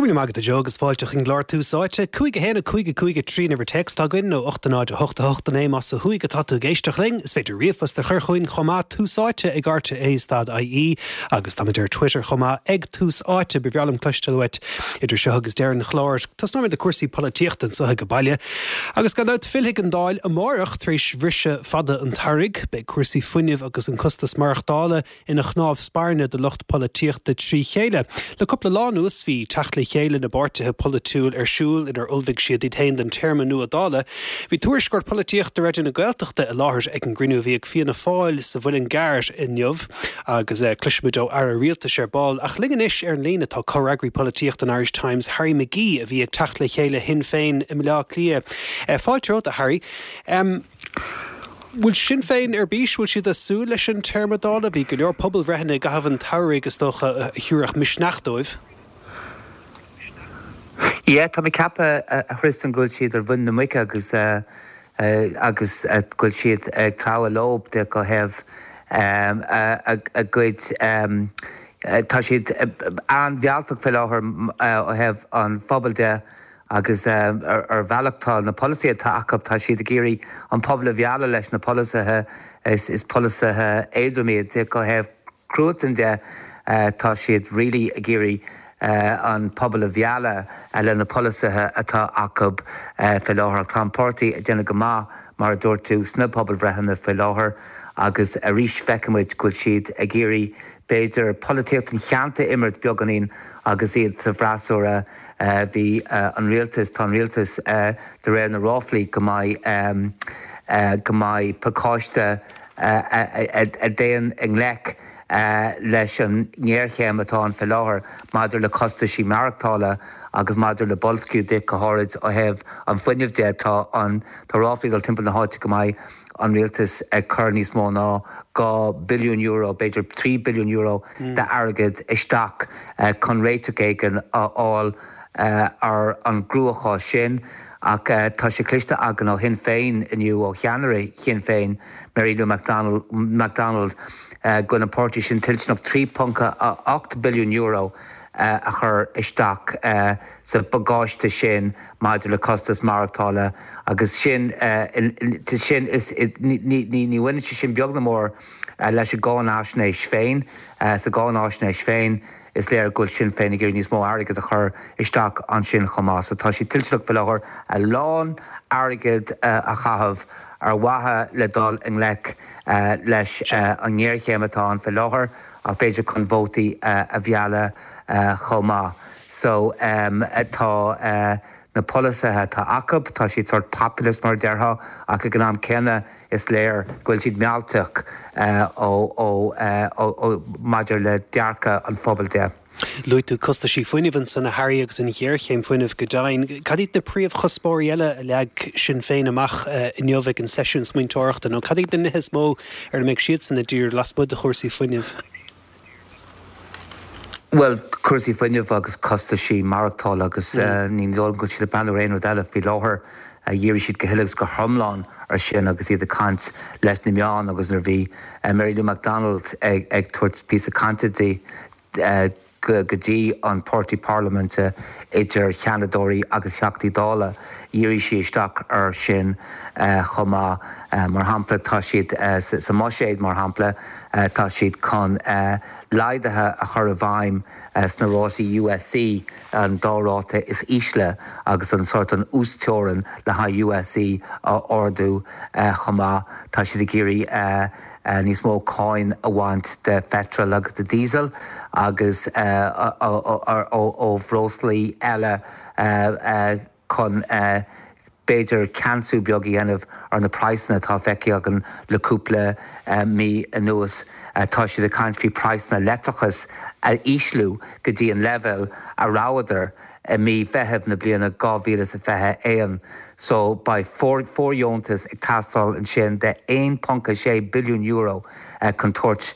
Go raibh míle maith agat a Joe agus fáilte chuig an gclár Tús Áite. 5 1 5 5 3 an uimhir téacs atá againn nó 8 0 8 8 9 más ó thuaidh atá tú ag éisteacht linn. Is féidir ríomhphost a chur chugainn chomh maith, Tús Áite ag rte stad ie agus táimid ar Twitter chomh maith ag Tús Áite. Ba bhreá liom cloisteáil uait idir seo agus deireadh an chláir. Tosnóimid le cúrsaí polaitíochta anseo ag baile. Agus gan dabht fillfidh an Dáil amárach tar éis bhriseadh fada an tsamhraidh. Beidh cúrsaí fuinnimh agus an costas maireachtála ina chnámh spairne do lucht polaitíochta trí chéile. Le cúpla lá anuas bhí teacht le chéile na bpáirtithe polaitiúil ar siúl inar ullmhaigh siad iad féin don téarma nua Dála. Bhí tuairisceoir polaitíochta Raidió na Gaeltachta i láthair ag an gcruinniú a bhí ag Fianna Fáil sa Mhuileann gCearr inniu agus cloisfimid ó Aire Rialtais ar ball. Ach linn anois ar an líne tá comhfhreagraí polaitíochta an Irish Times, Harry McGee a bhí ag teacht le chéile Shinn Féin i mBaile Átha Cliath. Fáilte romhat a Harry. Bhfuil Sinn Féin ar bís? Bhfuil siad ag súil leis an téarma Dála? Bhí go leor pobalbhreitheanna i gcaitheamh an tsamhraidh, is dócha, a thabharfadh misneach dóibh. Yeah, tá mé ag ceapadh, a Thristan, go bhfuil siad ar mhuin na muice agus agus go bhfuil siad ag treabhadh leo ó thaobh a gcuid, tá siad an-mhealltach faoi láthair ó thaobh an phobail de. Agus ar bhealach tá na polasaithe atá acu, tá siad ag iarraidh an pobal a mhealladh leis na polasaithe, is polasaithe éadrom iad. Ó thaobh cruatain de, tá siad really ag iarraidh an pobal a mhealladh le na polasaithe atá acu faoi láthair. Ach tá an páirtí ag déanamh go maith, mar a dúirt tú, sna pobalbhreitheanna faoi láthair agus arís feicimid go bhfuil siad ag iarraidh b'fhéidir polaitíocht an cheanta a imirt beagáinín agus iad sa bhfreasúra. Bhí an rialtas, tá an rialtas de réir na ráflaí go mbeidh, go mbeidh pacáiste a dtéann i ngleic leis an ngéarchéim atá ann faoi láthair maidir le costaisí maireachtála agus maidir le boilsciú de, go háirid ó thaobh an fuinnimh de. Tá an, tá ráflaí ag dul timpeall na háite go mbeidh an rialtas ag cur níos mó ná €2 billiún, b'fhéidir €3 billiún d'airgead isteach chun réiteach éigin a fháil ar an gcruachás sin. Ach tá sé cloiste againn ó Shinn Féin inniu, ó cheannaire Shinn Féin, Mary Lou McDonald, go bhfuil an páirtí sin toilteanach €3.8 billiún a chur isteach sa bpacáiste sin maidir le costas maireachtála agus sin, sin is, ní bhaineann sé sin beag ná mór leis an gcáinaisnéis féin. Sa gcáinaisnéis féin, is léir go bhfuil Sinn Féin ag iarraidh níos mó airgid a chur isteach ansin chomh maith. So tá siad toilteanach faoi láthair a lán airgid a chaitheamh ar mhaithe le dul i ngleic leis an ngéarchéim atá ann faoi láthair ach b'fhéidir chun vótaí a mhealladh chomh maith. So tá na polasaithe atá acu, tá siad sórt populist mar a déarfá ach ag an am céanna is léir go bhfuil siad mealltach ó ó maidir le dearcadh an phobail de. Luaigh tú costaisí fuinnimh ansan a Harry agus an ghéarchéim fuinnimh go deimhin. Cad iad na príomhchuspóirí eile a leag Sinn Féin amach inniu ag an seisiún smaointeoireachta nó cad iad na nithe is mó ar a mbeidh siadsan ag díriú lasmuigh de chúrsaí fuinnimh? Bhuel, cúrsaí fuinnimh agus costaisí maireachtála agus ní dóigh liom go bhfuil siad ag breathnú ar aon rud eile faoi láthair. Dhírigh siad go huile agus go hiomlán ar sin agus iad ag caint leis na meáin agus nuair a bhí Mary Lou McDonald ag tabhairt píosa cainte di go dtí an páirtí parlaiminte idir Sheanadóirí agus Theachtaí Dála, dhírigh sí isteach ar sin chomh maith. Mar shampla, tá siad sa mbuiséad, mar shampla, tá siad chun laghduithe a chur i bhfeidhm sna rátaí USC, an dá ráta is ísle, agus an sórt an uasteorainn le haghaidh USC a ardú chomh maith. Tá siad ag iarraidh níos mó cáin a bhaint de pheitreal agus de dhíosal agus ó bhreoslaí eile chun b'fhéidir ceansú beag a dhéanamh ar na praghsanna atá feicthe againn le cúpla mí anuas. Tá siad ag caint faoi praghsanna leictreachais a ísliú go dtí an leibhéal a rabhadar i mí Mheithimh na bliana 2021 so beidh fóirdheontas ag teastáil ansin de €1.6 billiún chun tabhairt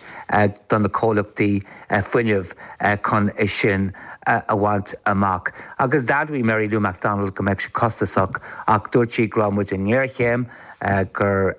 do na comhlachtaí fuinnimh chun é sin a bhaint amach. Agus d'admhaigh Mary Lou McDonald go mbeadh sé costasach ach dúirt sí go raibh muid i ngéarchéim, gur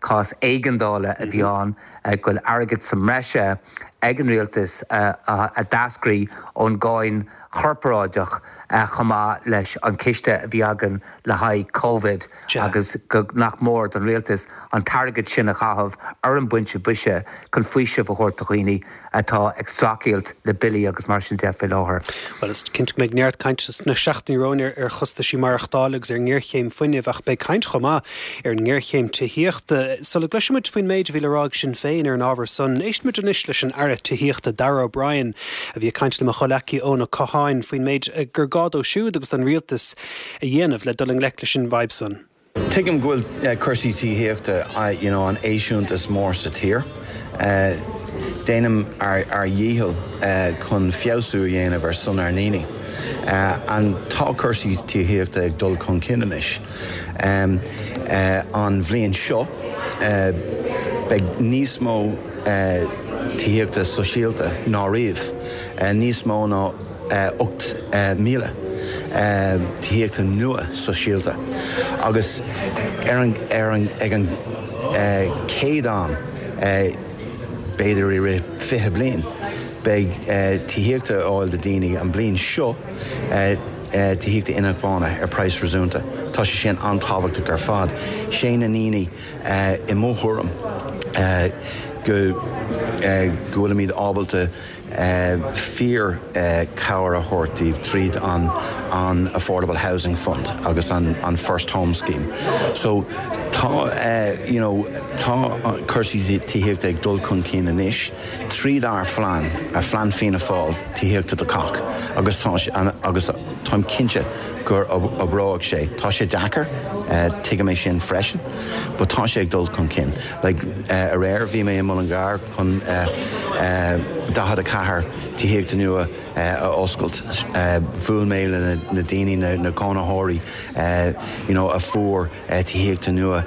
cás éigeandála a bhí ann, go bhfuil airgead sa mbreise ag an rialtas a d'eascraigh ón gcáin. Chorparáideach chomh maith leis an chiste a bhí againn le haghaidh Covid agus go nach mór don rialtas an t-airgead sin a chaitheamh ar an bpointe boise chun faoiseamh a thabhairt do dhaoine atá ag streachailt le billí agus mar sin de faoi láthair. Bhuel, is cinnte go mbeidh neart cainte sna seachtainí romhainn ar chostaisí maireachtála agus ar an ngéarchéim fuinnimh ach beidh caint chomh maith ar an ngéarchéim tithíochta. Sula gcloisfidh muid faoin méid a bhí le rá ag Sinn Féin ar an ábhar san, éistfidh muid anois leis an Aire Tithíochta Darragh O'Brien a bhí ag caint le mo chomhleacaí Eoin Ó Catháin faoin méid gur gá dó siúd agus don rialtas a dhéanamh le dul i ngleic leis an bhfadhb san. Tuigim go bhfuil cúrsaí tithíochta you know an eisíúntas mór sa tír. Déanaim ár dhícheall chun feabhsú a dhéanamh ar son ár ndaoine. And tá cúrsaí tithíochta ag dul chun cinn anois. An bhliain seo beidh níos mó tithíochta sóisialta ná riamh, níos mó ná 8,000 tithíochta nua sóisialta agus ar an ar an ag an chéad am b'fhéidir i rith 20 bliain beidh tithíochta ar fáil do daoine an bliain seo tithíochta inacmhainne ar praghas réasúnta. Tá sé sin an-tábhachtach ar fad. Sé na ndaoine i mo thuairim go go bhfuilimid ábalta fíor cabhair a thabhairt díobh tríd an an Affordable Housing Fund agus an an First Home Scheme. So tá you know tá cúrsaí tithíochta ag dul chun cinn anois tríd ár phlean, Phlean Fianna Fáil Tithíochta do Chách agus tá sé agus táim cinnte gur oibreoidh sé. Tá sé deacair, tuigim é sin freisin, but tá sé ag dul chun cinn. Like aréir bhí mé i Mullingar chun 44 tithíochta nua a oscailt. Bhuail mé le na daoine, na cónaitheoirí you know a fuair tithíochta nua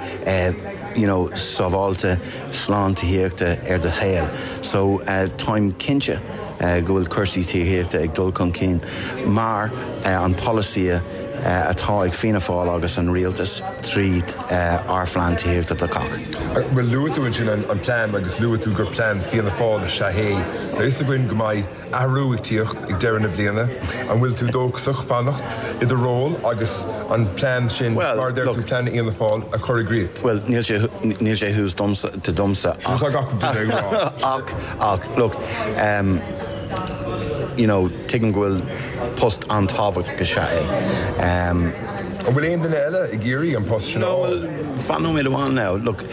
you know sábháilte, slán tithíochta ar do shaol. So táim cinnte go bhfuil cúrsaí tithíochta ag dul chun cinn mar an polasaí atá ag Fianna Fáil agus an Rialtas tríd ár phlean tithíochta do chách. Bhuel, luaigh tú ansin an plean agus luaigh tú gur plean Fianna Fáil is ea é. Tá fhios againn go mbeidh athrú ag tíocht ag deireadh na bliana. An bhfuil tú dóchasach fanacht i do ról agus an plean sin, mar a deir tú, plean Fhianna Fáil, a chur i gcrích? Bhuel, níl sé, níl sé thuas domsa, domsa ach. Sin atá gach duine ag rá. Ach, ach, look, um, you know, tuigim go bhfuil post an-tábhachtach is ea é. Um. An bhfuil aon duine eile ag iarraidh an post sin a fháil? No, bhuel, fan nóiméad amháin now. Look,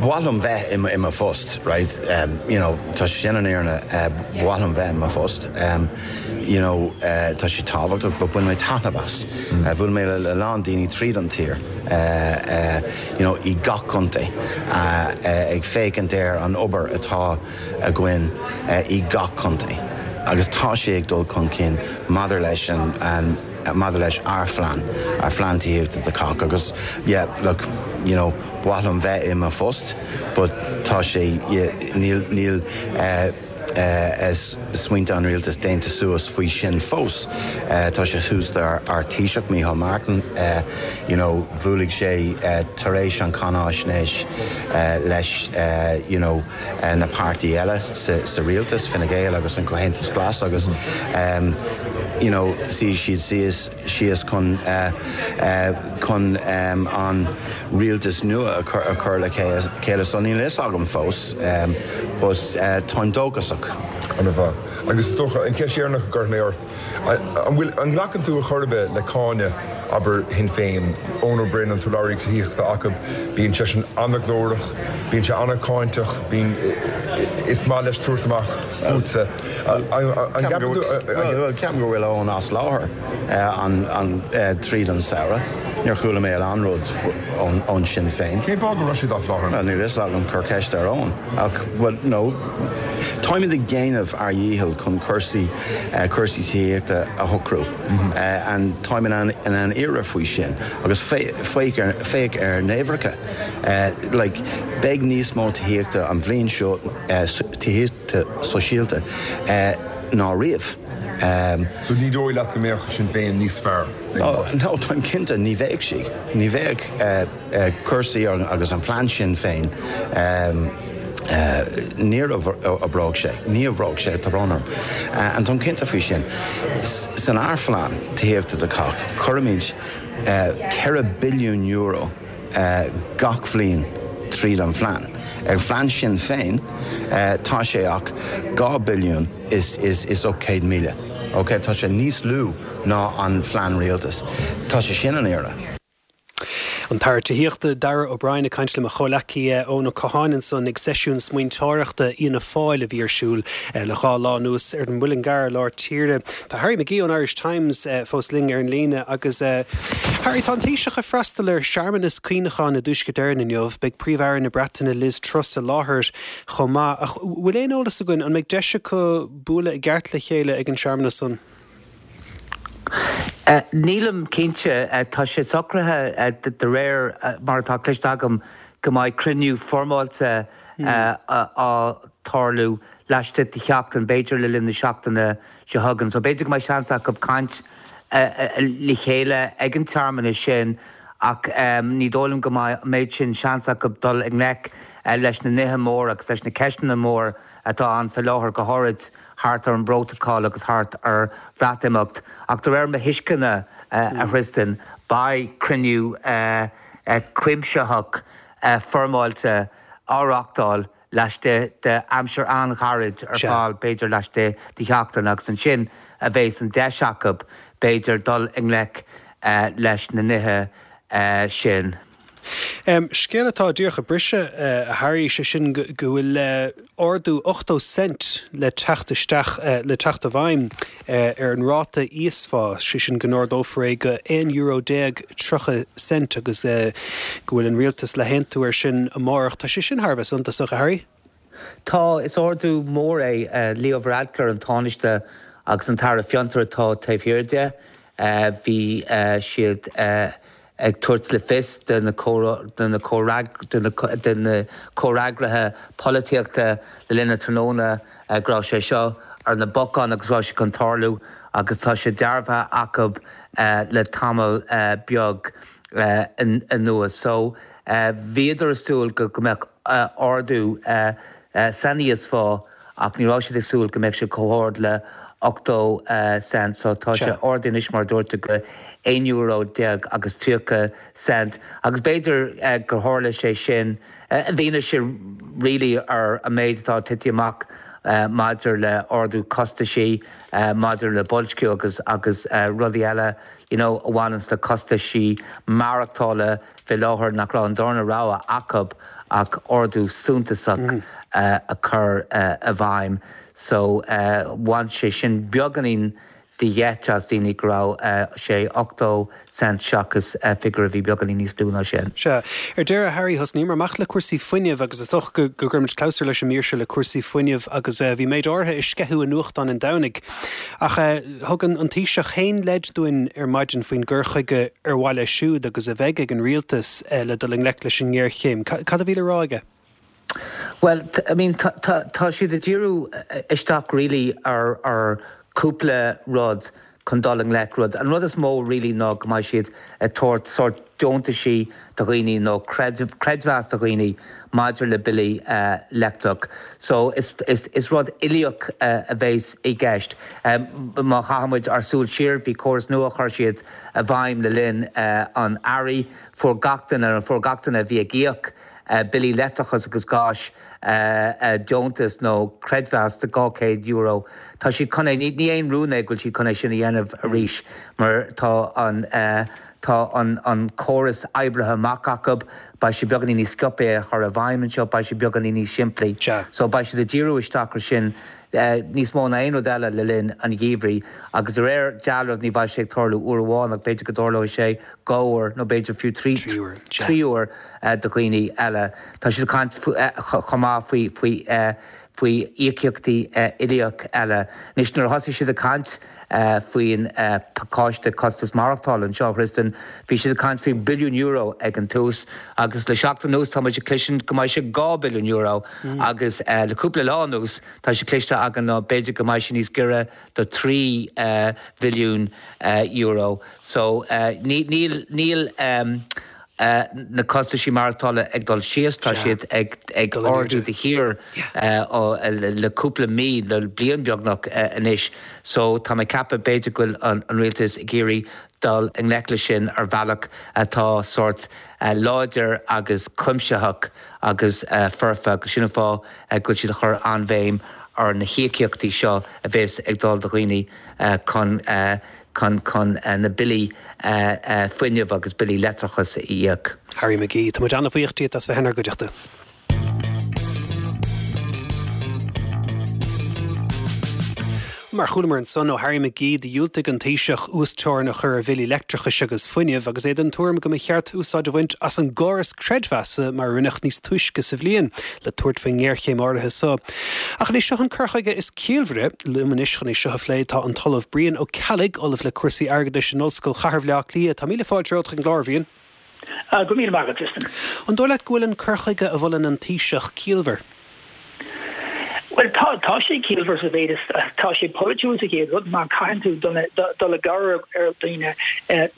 ba mhaith liom bheith i mo phost, right? Um, you know, tá sé sin an fhírinne, ba mhaith liom bheith i mo phost. Um, you know, tá sé tábhachtach, but bhain mé taitneamh as. Bhuail mé le a lán daoine tríd an tír, you know, i gach contae, ag féachaint ar an obair atá againn i gach contae agus tá sé ag dul chun cinn maidir leis an maidir leis ár phlean, ár phlean tithíochta do chách agus yeah look, you know, ba mhaith liom bheith i mo phost but tá sé, yeah, níl, níl eh smaointe an rialtais déanta suas faoi sin fós. Tá sé thuas do ár Taoiseach, Micheál Martin, you know, bhuailfidh sé tar éis an cháinaisnéis leis you know na páirtí eile sa rialtas, Fine Gael agus an Comhaontas Glas agus you know suífidh siad síos síos chun chun an rialtas nua a chur le chéile so níl a fhios agam fós but táim dóchasach. Ana-mhaith. Agus is dócha, an cheist dheireanach a gcuirfidh mé ort, an bhfuil, an nglacann tú ar chor ar bith le cáineadh, abair, Shinn Féin, Eoin Ó Broin, an t-urlabhraí tithíochta acu, bíonn seisean ana-ghlórach, bíonn sé ana-cháinteach, bíonn, is maith leis tabhairt amach fútsa. An gceapann tú. Bhuel, ceapaim go bhfuil Eoin as láthair tríd an samhradh. Níor chuala mé aon rud ón Sinn Féin. Cén fáth go raibh siad as láthair? Bhuel, níl a fhios agam, cuir ceist ar Eoin. Ach, bhuel, no, táimid ag déanamh ár dhícheall chun cúrsaí, cúrsaí tithíochta a shocrú. And táim in ann, in ann iarraidh faoi sin. Agus féach ar, féach ar na huimhreacha. Like, beidh níos mó tithíochta an bhliain seo, tithíochta, sóisialta ná riamh. So ní dóigh leat go mbeadh Sinn Féin níos fearr ag an bpost? No, táim cinnte, ní bheadh siad. Ní bheadh cúrsaí agus an plean Sinn Féin. Níor oibreoidh sé. Ní oibreoidh sé, tá brón orm. And táim cinnte faoi sin. San ár phlean tithíochta do chách, cuirimid €4 billiún gach bhliain tríd an phlean. Ar phlean sin féin, tá sé ach 2 billiún is 800,000. Ok, tá sé níos lú ná an phlean rialtais. Tá sé sin an fhírinne. An tAire Tithíochta, Darragh O'Brien ag caint le mo chomhleacaí Eoin Ó Catháin ansan ag seisiún smaointeoireachta Fhianna Fáil a bhí ar siúl le dhá lá anuas ar an Muileann gCearr i lár tíre. Tá Harry McGee ón Irish Times fós linn ar an líne agus Harry, tá an Taoiseach ag freastal ar shearmanas cuimhneacháin i dTuaisceart Éireann inniu. Beidh Príomh-Aire na Breataine Liz Truss i láthair chomh maith. Ach bhfuil aon eolas againn an mbeidh deis acu bualadh i gceart le chéile ag an searmanas san? Nílim cinnte. Tá sé socraithe, de réir mar atá cloiste agam, go mbeidh cruinniú foirmeáilte á tarlú laistigh de sheachtain, b'fhéidir le linn na seachtaine seo chugainn. So b'fhéidir go mbeidh seans acu caint le chéile ag an tsearmanas sin ach ní dóigh liom go mbeidh an méid sin seans acu dul i ngleic leis na nithe móra agus leis na ceisteanna móra atá ann faoi láthair, go háirid thart ar an bprótacal agus thart ar Bhreatimeacht. Ach de réir mo thuisceana, a Thristan, beidh cruinniú cuimsitheach foirmeáilte á reáchtáil laistigh d'aimsir an-ghairid ar ball, b'fhéidir laistigh de sheachtain, agus ansin a bheas an deis acu, b'fhéidir, dul i ngleic leis na nithe sin. Scéal atá díreach ag briseadh, a Harry, sé sin go bhfuil ardú 80 cent le teacht isteach, le teacht i bhfeidhm ar an ráta íosphá, sé sin go n-ardófar é go €11 30 cent agus go bhfuil an rialtas le haontú air sin amárach. Tá sé sin thar a bheith suntasach, a Harry. Tá, is ardú mór é. Leo Varadkar, an Tánaiste agus an tAire Fiontar atá taobh thiar de. Bhí siad ag tabhairt le fios do na comhfhreagraithe polaitíochta le linn an tráthnóna go raibh sé seo ar na bacáin agus go raibh sé chun tarlú agus tá sé dearbhaithe acu le tamall beag anuas. So bhíodar ag súil go mbeadh ardú san íosphá ach ní raibh siad ag súil go mbeadh sé chomh hard le 80 cent. So tá sé ardaithe anois mar a dúirt tú go €11 agus 30 cent agus b'fhéidir gur tharla sé sin i bhfianaise really ar an méid atá tite amach maidir le ardú costaisí, maidir le boilsciú agus agus rudaí eile you know a bhaineanns le costaisí maireachtála. Fé láthair nach raibh an darna rogha acu ach ardú suntasach a chur i bhfeidhm. So bhain sé sin beagáinín de gheit as daoine go raibh sé 80 cent seachas figiúr a bhí beagáinín níos lú ná sin. Sea. Ar deireadh, Harry, thosnaíomar amach le cúrsaí fuinnimh agus is dócha go gcuirfimid clabhsúr leis an mír seo le cúrsaí fuinnimh agus bhí méid áirithe ag sceitheadh i nuachtáin an Domhnaigh. Ach thug an Taoiseach féin leid dúinn ar maidin faoin gcur chuige ar mhaith leis siúd agus a bheidh ag an rialtas le dul i ngleic leis an ngéarchéim. Cad a bhí le rá aige? Bhuel, I mean, tá siad ag díriú isteach really ar ar cúpla rud chun dul i ngleic rud. An rud is mó really ná go mbeidh siad ag tabhairt sórt deontaisí do dhaoine nó creidmheas do dhaoine maidir le billí leictreach. So is is rud uilíoch a bheas i gceist. Má chaitheann muid ár súil siar, bhí córas nua a chuir siad i bhfeidhm le linn an earraigh. Fuair gach duine, fuair gach duine a bhí ag íoc billí leictreachais agus gáis deontas nó creidmheas de €200. Tá siad chun é, ní aon rún é go bhfuil siad chun é sin a dhéanamh arís mar tá an tá an córas oibrithe amach acu, beidh sé beagáinín níos sciobtha é a chur i bhfeidhm anseo, beidh sé beagáinín níos simplí. So beidh siad ag díriú isteach ar sin níos mó ná aon rud eile le linn an gheimhridh agus de réir dealraimh ní bheidh sé ag tarlú uair amháin ach b'fhéidir go dtarlóidh sé dhá uair nó b'fhéidir fiú trí uair do dhaoine eile. Tá siad ag caint chomh maith faoi faoi faoi íocaíochtaí uilíoch eile. Anois nuair a thosaigh siad ag caint faoin pacáiste costas maireachtála anseo, a Thristan, bhí siad ag caint faoi billiún euro ag an tús agus le seachtain anuas tá muid ag cloisint go mbeidh sé €2 billiún agus le cúpla lá anuas tá sé cloiste againn ná b'fhéidir go mbeidh sé níos giorra do €3 bhilliún. So níl, níl. Na costaisí maireachtála ag dul síos, tá siad ag ardú de shíor le cúpla mí, le bliain beagnach anois. So tá mé ag ceapadh b'fhéidir go bhfuil an rialtas ag iarraidh dul i ngleic leis sin ar bhealach atá sórt láidir agus cuimsitheach agus foirfe agus sin an fáth go bhfuil siad ag cur an-bhéim ar na híocaíochtaí seo a bheas ag dul do dhaoine chun chun chun na billí fuinnimh agus billí leictreachais a íoc. Harry McGee, tá muid an-bhuíoch díot as bheith inár gcuideachta. Mar a chualamar ansan ó Harry McGee, do dhiúltaigh an Taoiseach uas-teorainn a chur ar bhillí leictreachais agus fuinnimh agus é den tuairim go mba cheart úsáid a bhaint as an gcóras creidmheasa mar a rinneadh níos túisce sa bhliain le tabhairt faoin ngéarchéim áirithe so. Ach an é seo an cur chuige is ciallmhaire? Liom anois chun é seo a phlé tá an tOllamh Brian Ó Ceallaigh, Ollamh le cúrsaí airgeadais in Ollscoil Chathair Bhaile Átha Cliath. Tá míle fáilte romhat chuig an gclár, a Bhriain. Go raibh míle maith agat, Tristan. An dóigh leat go bhfuil an cur chuige a mholann an Taoiseach ciallmhar? Bhuel, tá, tá sé ciallmhar sa mhéid is, tá sé polaitiúil sa chéad rud mar caitheann tú dul dul i gcabhair ar dhaoine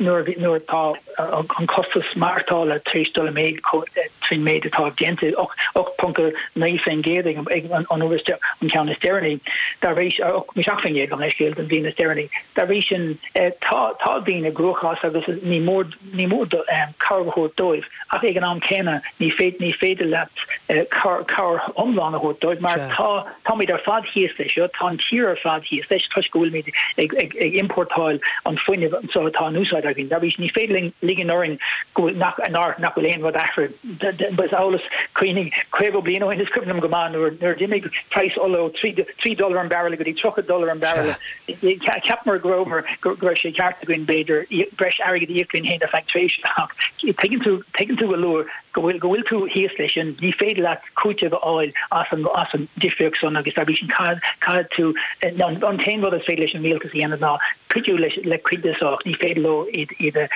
nuair nuair atá an costas maireachtála tar éis dul i méid trín méid atá déanta, 8.9% ag ag an an uair is an ceann is deireanaí. Dá bhrí, 8.7% gabh mo leithscéal don bhliain is deireanaí. Dá bhrí sin, tá tá daoine i gcruachás agus ní mór Ní mór cabhair a thabhairt dóibh ach ag an am céanna ní ní féidir leat cabhair iomlán a thabhairt dóibh mar tá táimid ar fad thíos leis seo, tá an tír ar fad thíos leis toisc go bhfuilimid ag ag ag importáil an fuinneamh anseo atá in úsáid againn. Dá bhrí sin ní féidir linn ligean orainn go bhfuil nach nach bhfuil aon rud athraithe. Is eolas cuimhnigh 50 bliain ó shin is cuimhin liom go maith nuair nuair a d'imigh praghas ola ó 3 dollar an barrel go dtí 30 dollar an barrel. Cheapamar go rabhamar, go raibh sé ceart againn, b'fhéidir, breis airgid a íoc linn féin ar feadh tréimhse ach tuigeann tú, tuigeann tú go luath go bhfuil, go bhfuil tú thíos leis sin, ní féidir leat cúiteamh a fháil as an, as an difríocht san agus dá bhrí sin caithfidh, caithfidh tú, an, an t-aon rud is féidir leis an rialtas a dhéanamh ná cuidiú leis, le cuid de so ach ní féidir leo iad, iad a,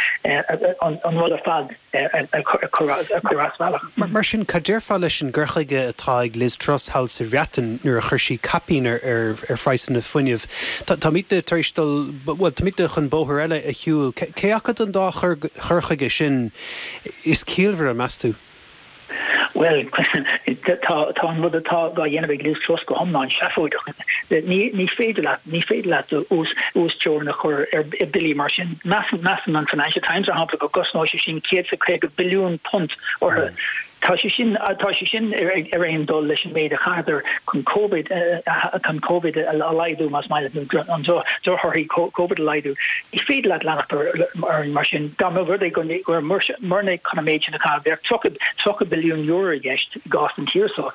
an, an rud ar fad. a chur as bealach. Mar sin, cad déarfá leis an gcur chuige atá ag Liz Truss thall sa Bhreatain nuair a chuir sí caipín ar phraghsanna fuinnimh? Táimidne tar éis dul, bhuel, táimidne chun bóthar eile a shiúl. Cé acu den dá chur chuige sin is ciallmhaire, meas tú? Bhuel, tá an rud atá á dhéanamh ag Liz Truss go hiomlán seafóideach. Ní féidir leat, ní féidir leat uasteorainn a chur ar bhillí mar sin. Measann an Financial Times, mar shampla, go gcosnóidh sé sin £150 billiún orthu. Tá sé sin, tá sé sin ar aon dul leis an méid a chaitheadar chun Covid, chun Covid a laghdú, más maith leat, nó an drochthorthaí Covid a laghdú. Ní féidir leat leanacht ar mar sin. Dá mba rud é go murna chun an méid sin a chaitheamh, bheadh €30 billiún i gceist i gcás an tír seo,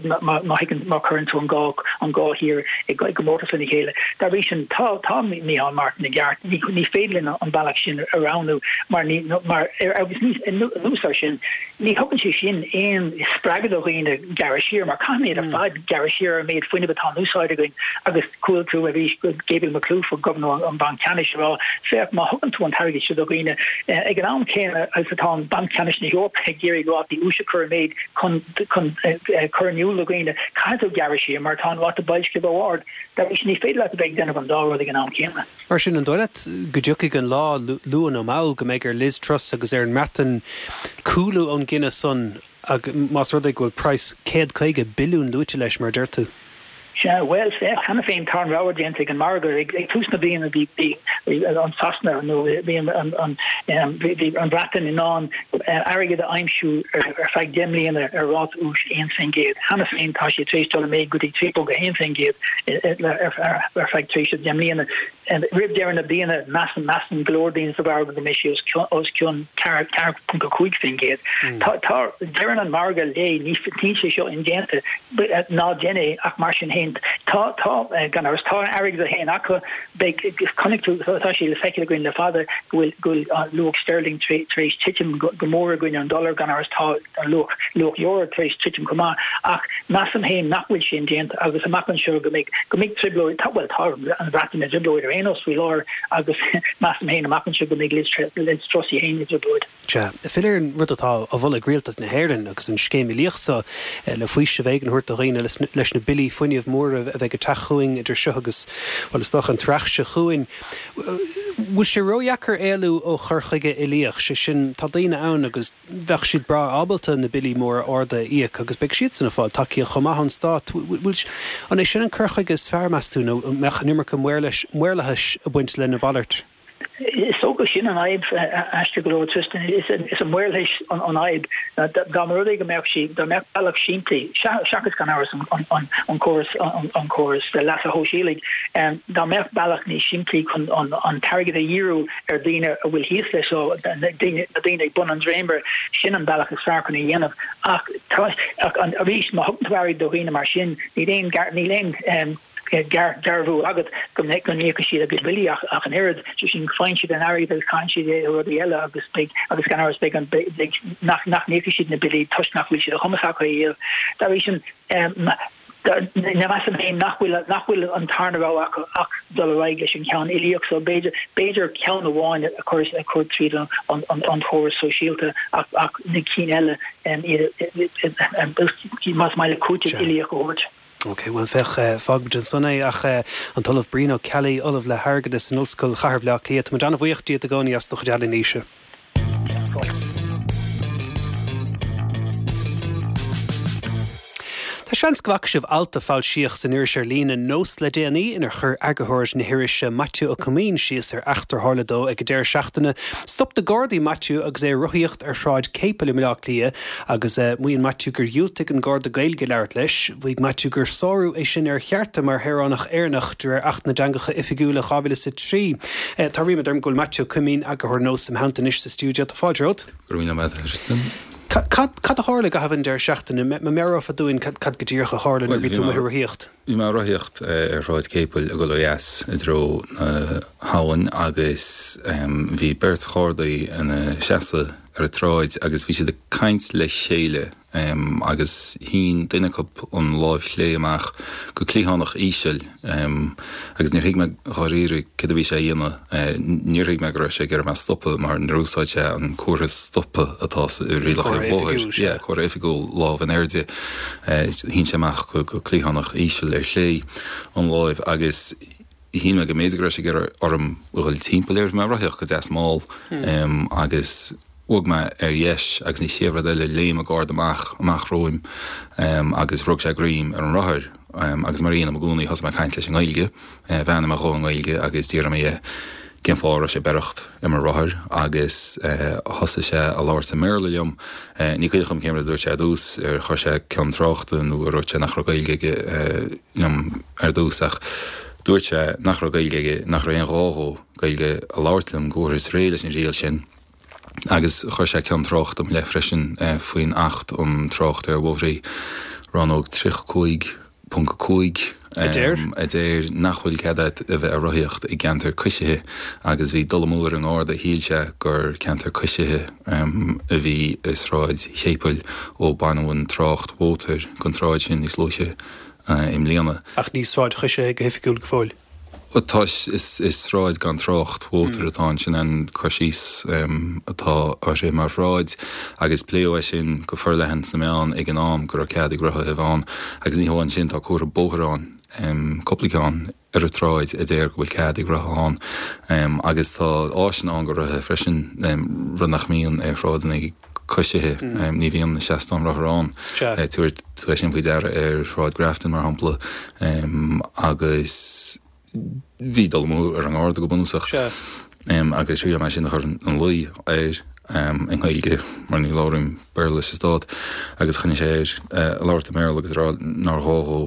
má má chuireann tú an dhá an dhá thír i gcomórtas lena chéile. Dá bhrí sin, tá tá Micheál Martin i gceart, ní ní féidir linn an bealach sin a roghnú mar ní mar agus ní anuas air sin, ní thugann sé sin aon spreagadh do dhaoine gearradh siar mar caithfimid ar fad gearradh siar ar an méid fuinnimh atá in úsáid againn agus Chuala tú arís Gabriel Makhlouf, Gobharnóir an Bhanc Ceannais, ag rá, Féach, má thugann tú an t-airgead seo do dhaoine, ag an am céanna agus atá an Banc Ceannais na hEorpa ag iarraidh rátaí úis a chur i méid chun chun cur in iúl do dhaoine, caithfidh tú gearradh siar mar tá an ráta boilscithe ró-ard. Dá bhrí sin, ní féidir leat a bheith ag déanamh an dá rud ag an am céanna. Mar sin, an dóigh leat go dtiocfaidh an lá, luath nó mall, go mbeidh ar Liz Truss agus ar an mBreatain cúlú ón gcinneadh san Más rud é go bhfuil praghas 150 billiún luaite leis, mar a deir tú. Sea, bhuel, féach, cheana féin tá an rogha déanta ag an margadh. Ag tús na bliana bhí an Sasana nó bhí an bhí an Bhreatain in ann airgead a aimsiú ar feadh 10 mbliana ar ráta úis 1%. Cheana féin tá sé tar éis dul i méid go dtí 3.1% ar feadh tréimhse 10 mbliana. Roimh deireadh na bliana, measann measann go leor daoine sa mhargadh go mbeidh sé os cionn 4.5%. Tá tá deireann an margadh léi ní níl sé seo indéanta ná déan é ach mar sin féin tá tá gan amhras tá an airgead féin acu beidh chonaic tú tá sé le feiceáil againn le fada go bhfuil go bhfuil luach sterling tar éis titim go mór i gcoinne an dollar gan amhras tá an luach luach euro tar éis titim chomh maith ach measaim féin nach bhfuil sé indéanta agus amach anseo go mbeidh go mbeidh trioblóid tá bhuel tá an Bhreatain i dtrioblóid ar aon nós faoi láthair agus measaim féin amach anseo go mbeidh Liz Liz Truss í féin i dtrioblóid. Sea. Filleadh ar an rud atá á mholadh ag Rialtas na hÉireann agus an scéim uilíoch seo le faoiseamh éigin a thabhairt do dhaoine leis na billí fuinnimh móra a bheith. bheidh ag teacht chugainn idir seo agus, bhuel, is dócha an t-earrach seo chugainn. Bhfuil sé ródheacair éalú ó chur chuige uilíoch, sé sin, tá daoine ann agus bheadh siad breá ábalta na billí móra arda a íoc agus beidh siadsan ag fáil tacaíocht chomh maith ón stát. Bhfuil, an é sin an cur chuige is fearr, meas tú, nó an mbeadh an iomarca maorlathais ag baint lena mhalairt? Is dócha sin an fhadhb, aisteach go leor, Tristan. Is an maorlathas an fhadhb. Dá mba rud é go mbeadh sí, dá mbeadh bealach simplí, seachas gan amhras an córas an córas leasa shóisialaigh, dá mbeadh bealach níos simplí chun an t-airgead a dhíriú ar dhaoine a bhfuil thíos leis seo, na daoine ag bun an dréimire, sin an bealach is fearr chun é a dhéanamh. Ach arís, má thugann tú airgead do dhaoine mar sin, níl aon níl aon dearbhú agat go n-íocfaidh siad a gcuid billí ach an oiread, sé sin, faigheann siad an airgead agus caitheann siad é ar rudaí eile agus beidh, agus gan amhras beidh an, beidh, nach, nach n-íocfaidh siad na billí toisc nach bhfuil sé de chumas acu é a dhéanamh. Dá bhrí sin, measaim féin nach bhfuil, nach bhfuil an tarna rogha acu ach dul ar aghaidh leis an cheann uilíoch so b'fhéidir, b'fhéidir ceann amháin a chur, a chur tríd an, an, an chóras sóisialta ach, ach na cinn eile, iad, más maith leat cúiteamh uilíoch a thabhairt. Ok, bhuel féach, fágfaimid ansan é ach an tOllamh Brian Ó Ceallaigh, Ollamh le hAirgeadas in Ollscoil Chathair Bhaile Átha Cliath, tá muid an-bhuíoch díot i gcónaí as do chuid anailíse. Tá seans go bhfaca sibh alt a foilsíodh san iris ar líne Nós le déanaí inar chuir eagarthóir na hirise Maitiú Ó Coimín síos ar eachtra a tharla dó ag an deireadh seachtaine. Stop na Gardaí Maitiú agus é ag rothaíocht ar Shráid Chéipil i mBaile Átha Cliath Agus maíonn Maitiú gur dhiúltaigh an Garda Gaeilge a labhairt leis. Mhaígh Maitiú gur sárú é sin ar a chearta mar shaoránach Éireannach de réir Acht na dTeangacha Oifigiúla 2003. Tá ríméad orm go bhfuil Maitiú Ó Coimín, eagarthóir Nós, im theannta anois sa stiúideo. Tá fáilte romhat. Go raibh míle maith agat, a Thristan. Cad a tharla i gcaitheamh an deireadh seachtaine? Má mheabhrófá dúinn cad go díreach a tharla nuair a bhí tú amuigh ag rothaíocht? Bhí mé ag rothaíocht ar Shráid Chéipil ag dul ó dheas i dtreo na habhann agus bhí beirt ghardaí ina seasamh ar an tsráid agus bhí siad ag caint le chéile agus shín duine acu an láimh chlé amach go cliathánach íseal agus níor thuig mé dháiríre céard a bhí sé a dhéanamh. Níor thuig mé go raibh sé ag iarraidh mé a stopadh mar níor úsáid sé an comhartha stoptha atá i rialacha an bhóthair. Yeah, comhartha oifigiúil, lámh in airde. Shín sé amach go cliathánach íseal ar chlé an láimh agus shíl mé go mb'fhéidir go raibh sé ag iarraidh orm a dhul timpeall air. Bhí mé ag rothaíocht go deas mall agus bhog mé ar dheis agus an chéad rud eile léim an garda amach amach romham agus rug sé greim ar an rothar agus mar a dhéanaim i gcónaí thosaigh mé ag caint leis i nGaeilge. Bheannaigh mé dhó i nGaeilge agus d'fhiafraigh mé dhe cén fáth a raibh sé ag beireacht ar mo rothar agus thosaigh sé a labhairt i mBéarla liom. Ní cuimhin liom cén rud a dúirt sé ar dtús, ar chuir sé cion tráchta nó ar dhúirt sé nach raibh Gaeilge aige liom ar dtús ach dúirt sé nach raibh Gaeilge aige, nach raibh aon ghá dhó Gaeilge a labhairt liom, go bhfuarthas réidh leis an riail sin. Agus chuir sé cion tráchta i mo leith freisin faoin Acht um Trácht ar Bhóithre, Rannóg 35.5, A deir? a deir nach bhfuil cead agat a bheith ag rothaíocht i gceantar coisithe agus bhí dul amú ar an nGarda, shíl sé gur ceantar coisithe a bhí i Sráid Chéipil ó baineadh an trácht mhótair den tsráid sin níos luaithe i mbliana. Ach ní sráid choisithe go hoifigiúil go fóill. Tá, is sráid gan trácht mhótair atá ann, sin an cur síos atá uirthi mar shráid agus pléadh é sin go forleathan sna meáin ag an am go raibh cead ag rothaithe a bheith ann agus ní hamháin sin tá comhartha bóthair ann, cúpla ceann ar an tsráid a deir go bhfuil cead ag rothaithe ann agus tá áiseanna ann do rothaithe freisin, rud nach mbíonn ar shráideanna coisithe, ní bhíonn na seastáin rothar ann. Tabharfaidh tú é sin faoi deara ar Shráid Grafton, mar shampla, agus bhí dul amú ar an nGarda go bunúsach. Agus thriail mé sin a chur ina luí air i nGaeilge, mar ní labhraím Béarla sa Stát, agus choinnigh sé air ag labhairt i mBéarla agus ag rá nár ghá dhó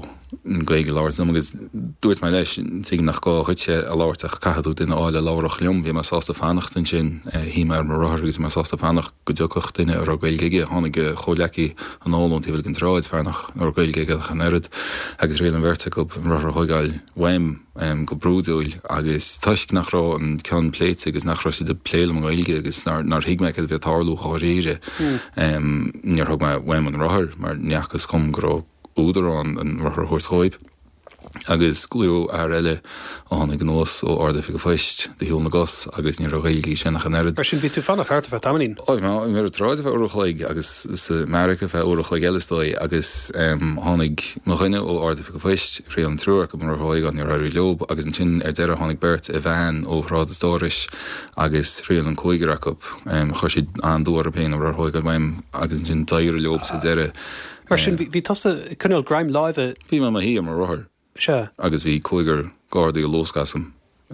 an Ghaeilge a labhairt liom agus dúirt mé leis, tuigim nach gá dhuitse a labhairt ach caithfidh tú duine a fháil a labhródh liom. Bhí mé sásta fanacht ansin, shuigh mé ar mo rothar agus bhí mé sásta fanacht go dtiocfadh duine a raibh Gaeilge aige. Tháinig a chomhghleacaí anall ón taobh eile den tsráid, fear nach raibh Gaeilge aige ach an oiread, agus thriail an bheirt acu an rothar a thóigeáil uaim go brúidiúil agus toisc nach raibh an cion pléite agus nach raibh siad ag plé liom i nGaeilge agus nár thuig mé cad a bhí ag tarlú dháiríre, níor thug mé uaim an rothar mar ní fhacthas dhom go raibh údar ann an rothar a thabhairt dhóibh. Agus glaodh fear eile a tháinig anuas ó Ard-Oifig an Phoist de shiúl na gcos agus ní raibh Gaeilge aige sin ach an oiread. Mar sin, bhí tú ag fanacht thart ar feadh tamaillín. Ó, bhí mé ar an tsráid ar feadh uair a chloig agus sa mbeairic ar feadh uair a chloig eile is dóigh agus tháinig mo dhuine ó Ard-Oifig an Phoist, thriail an triúr acu an rothar a thógáil, níor éirigh leob agus ansin ar deireadh tháinig beirt i veain ó Shráid an Stórais agus thriail an cúigear acu. Chuir siad an-dua orthu féin an rothar a thógáil uaim agus ansin d'éirigh leob sa deireadh. Mar sin, bhí tusa ag coinneáil greim láimhe. Bhí mé i mo shuí ar mo rothar. Sea. Agus bhí cúigear Gardaí ag luascadh asam.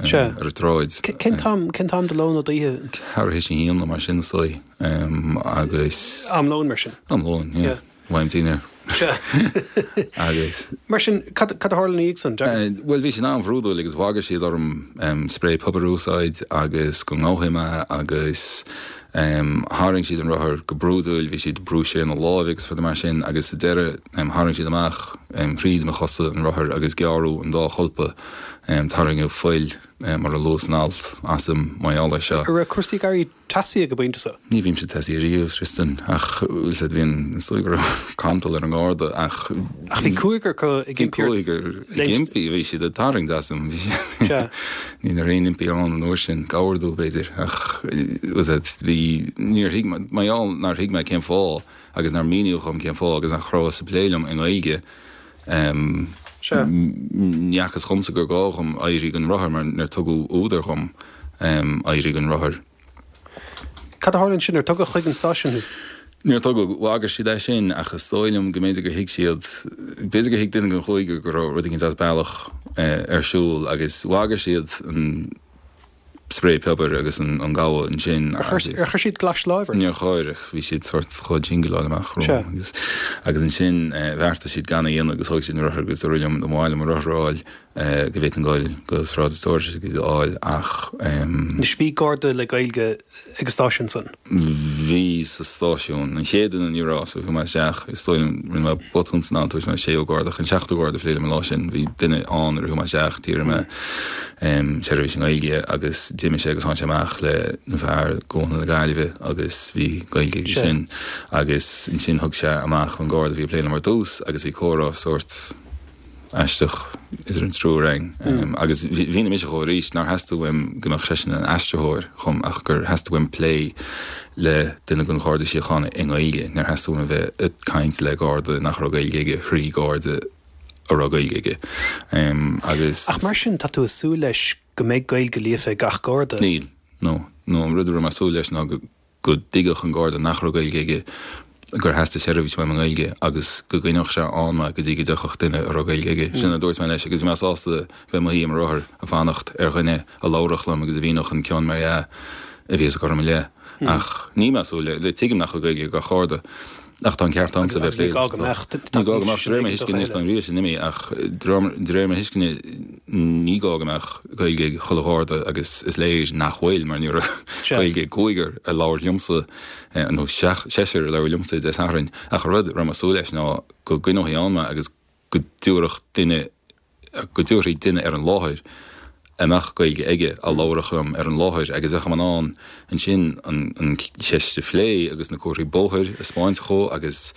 Sea. Ar an tsráid. Cén t-am, cén t-am de ló nó d'oíche? Ceathrú théis a haon nó mar sin is dóigh. Agus. Am lóin mar sin? Am lóin, yeah. Yeah. Am dinnéir. Sea. Agus. Mar sin, cad, cad a tharla ina dhiaidh san? Bhuel, bhí siad an-bhrúidiúil agus bhagair siad orm sprae piobair a úsáid agus go ngabhfaí mé agus. Tharraing siad an rothar go brúidiúil, bhí siad ag brú siar na láimhe agus rudaí mar sin agus sa deireadh tharraing siad amach thríd mo chosa an rothar agus gearradh an dá cholpa, tarraingeadh fuil, mar a luadh san alt, asam mar gheall air seo. An raibh cúrsaí ag éirí teasaí ag an bpointe seo? Ní bhímse teasaí riamh, Tristan, ach bhfuil 's a'd, bhí an, is dóigh go raibh cantal ar an ngarda ach. Ach bhí cúigear acu ag impí ort. Bhí cúigear ag impí, bhí siad ag tarraingt asam, bhí siad. Sea. Ní raibh aon impí ann an uair sin, gabhar domh, b'fhéidir, ach bhfuil 's a'd, bhí, níor thuig mé, mar gheall nár thuig mé cén fáth agus nár míníodh dhom cén fáth agus nach rabhthas ag plé liom i nGaeilge, Sea. ní fhacthas dhomsa gur gá dhom éirí den rothar mar níor tugadh údar dhom éirí den rothar. Cad a tharla ansin? Ar tugadh chuig an stáisiún thú? Níor tugadh. Bhagair siad é sin ach is dóigh liom go mb'fhéidir gur thuig siad, b'fhéidir gur thuig duine den chúigear go raibh rud éicint as bealach ar siúl agus bhagair siad an sprae piobair agus an gabhadh ansin Ar chuir ar chuir siad glais láimhe ort? Níor chuir ach bhí siad sórt chomh jingleáil amach romham agus agus ansin bheartaigh siad gan a dhéanamh agus thóg siad an rothar agus dúradh liom dá mba mhaith liom an rothar a fháil go bhféadfainn goil go Sráid an Stórais agus iad a fháil ach. Anois bhí Garda le Gaeilge ag an stáisiún san? Bhí sa stáisiún. An chéad duine ní raibh so chuaigh mé isteach is dóigh liom rinne mé botún san am dúirt mé séú Garda ach an seachtú Garda a phléigh liom an lá sin bhí duine ann nuair a chuaigh mé isteach d'iarr mé seirbhís i nGaeilge agus d'imigh sé agus tháinig sé amach le fear ó Chuan na Gaillimhe agus bhí Gaeilge aige sin agus ansin thug sé amach an Garda a bhí ag plé liom ar dtús agus bhí comhrá sórt aisteach idir an triúr againn. Agus mhínigh mise dhó arís nár theastaigh uaim go mbeadh seisean ina aistritheoir dhom ach gur theastaigh uaim plé le duine den Gharda Síochána i nGaeilge. Níor theastaigh uaim a bheith ag caint le Garda nach raibh Gaeilge aige thrí Gharda a raibh Gaeilge aige. Agus. Ach mar sin, tá tú ag súil leis go mbeidh Gaeilge líofa ag gach Garda? Níl. No. No, an rud a raibh mé ag súil leis ná go. go dtuigfeadh an Garda nach raibh Gaeilge aige gur theastaigh seirbhís uaim i nGaeilge agus go gcoinneodh sé ann mé go dtí go dtiocfadh duine a raibh Gaeilge aige. Sin a dúirt mé leis agus bhí mé sásta bheith i mo shuí ar mo rothar ag fanacht ar dhuine a labharfadh liom agus a mhíneodh an cion mar dhea a bhíothas ag cur i mo leith. Ach níl mé ag súil le, tuigim nach bhfuil Gaeilge ag gach Garda. Ach tá an ceart agamsa a bheith ag plé leis. Ní gá go mbeadh. Ní gá go mbeadh, de réir mo thuiscine, anois tá an riail sin imithe ach de réir mo thuiscine ní gá go mbeadh Gaeilge ag chuile Gharda agus is léir nach bhfuil mar ní raibh Gaeilge ag cúigear a labhair liomsa nó seisear a labhair liomsa Dé Sathairn ach an rud a raibh mé ag súil leis ná go gcoinneofaí ann mé agus go dtabharfadh duine go dtabharfaí duine ar an láthair a mbeadh Gaeilge aige a labharfadh liom ar an láthair agus bheadh mé in ann ansin an cheist a phlé agus na comharthaí bóthair a 'speáint dhó agus.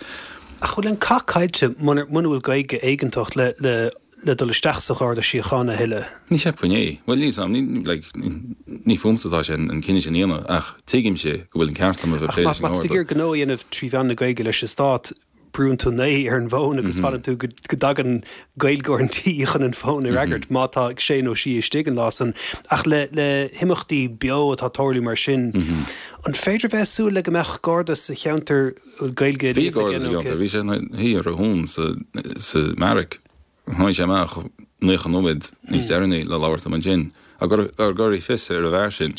Ach bhfuil an cath caillte muna bhfuil Gaeilge éigeantach le le le dul isteach sa Gharda Síochána a thuilleadh? Ní cheapfainn é. Bhuel, níl 's a'm, ní, like, ní fúmsa atá sé an cinneadh sin a dhéanamh ach tuigimse go bhfuil an ceart agam a bheith ag plé leis an nGarda. Ach má tá tú ag iarraidh gnó a dhéanamh trí mheán na Gaeilge leis an Stát, brúnn tú 9 ar an bhfón agus fanann tú go dtagann Gaeilgeoir an tí chun an fón a fhreagairt, má tá sé nó sí istigh an lá san. Ach le le himeachtaí beo atá ag tarlú mar sin, an féidir a bheith ag súil le go mbeadh Garda sa cheantar a bhfuil Gaeilge Bhí Garda sa cheantar, bhí sé ina shuí ar a thóin sa sa mbeairic. Tháinig sé amach 90 nóiméad níos deireanaí le labhairt liom ansin. Ag cur fios ar an bhfear sin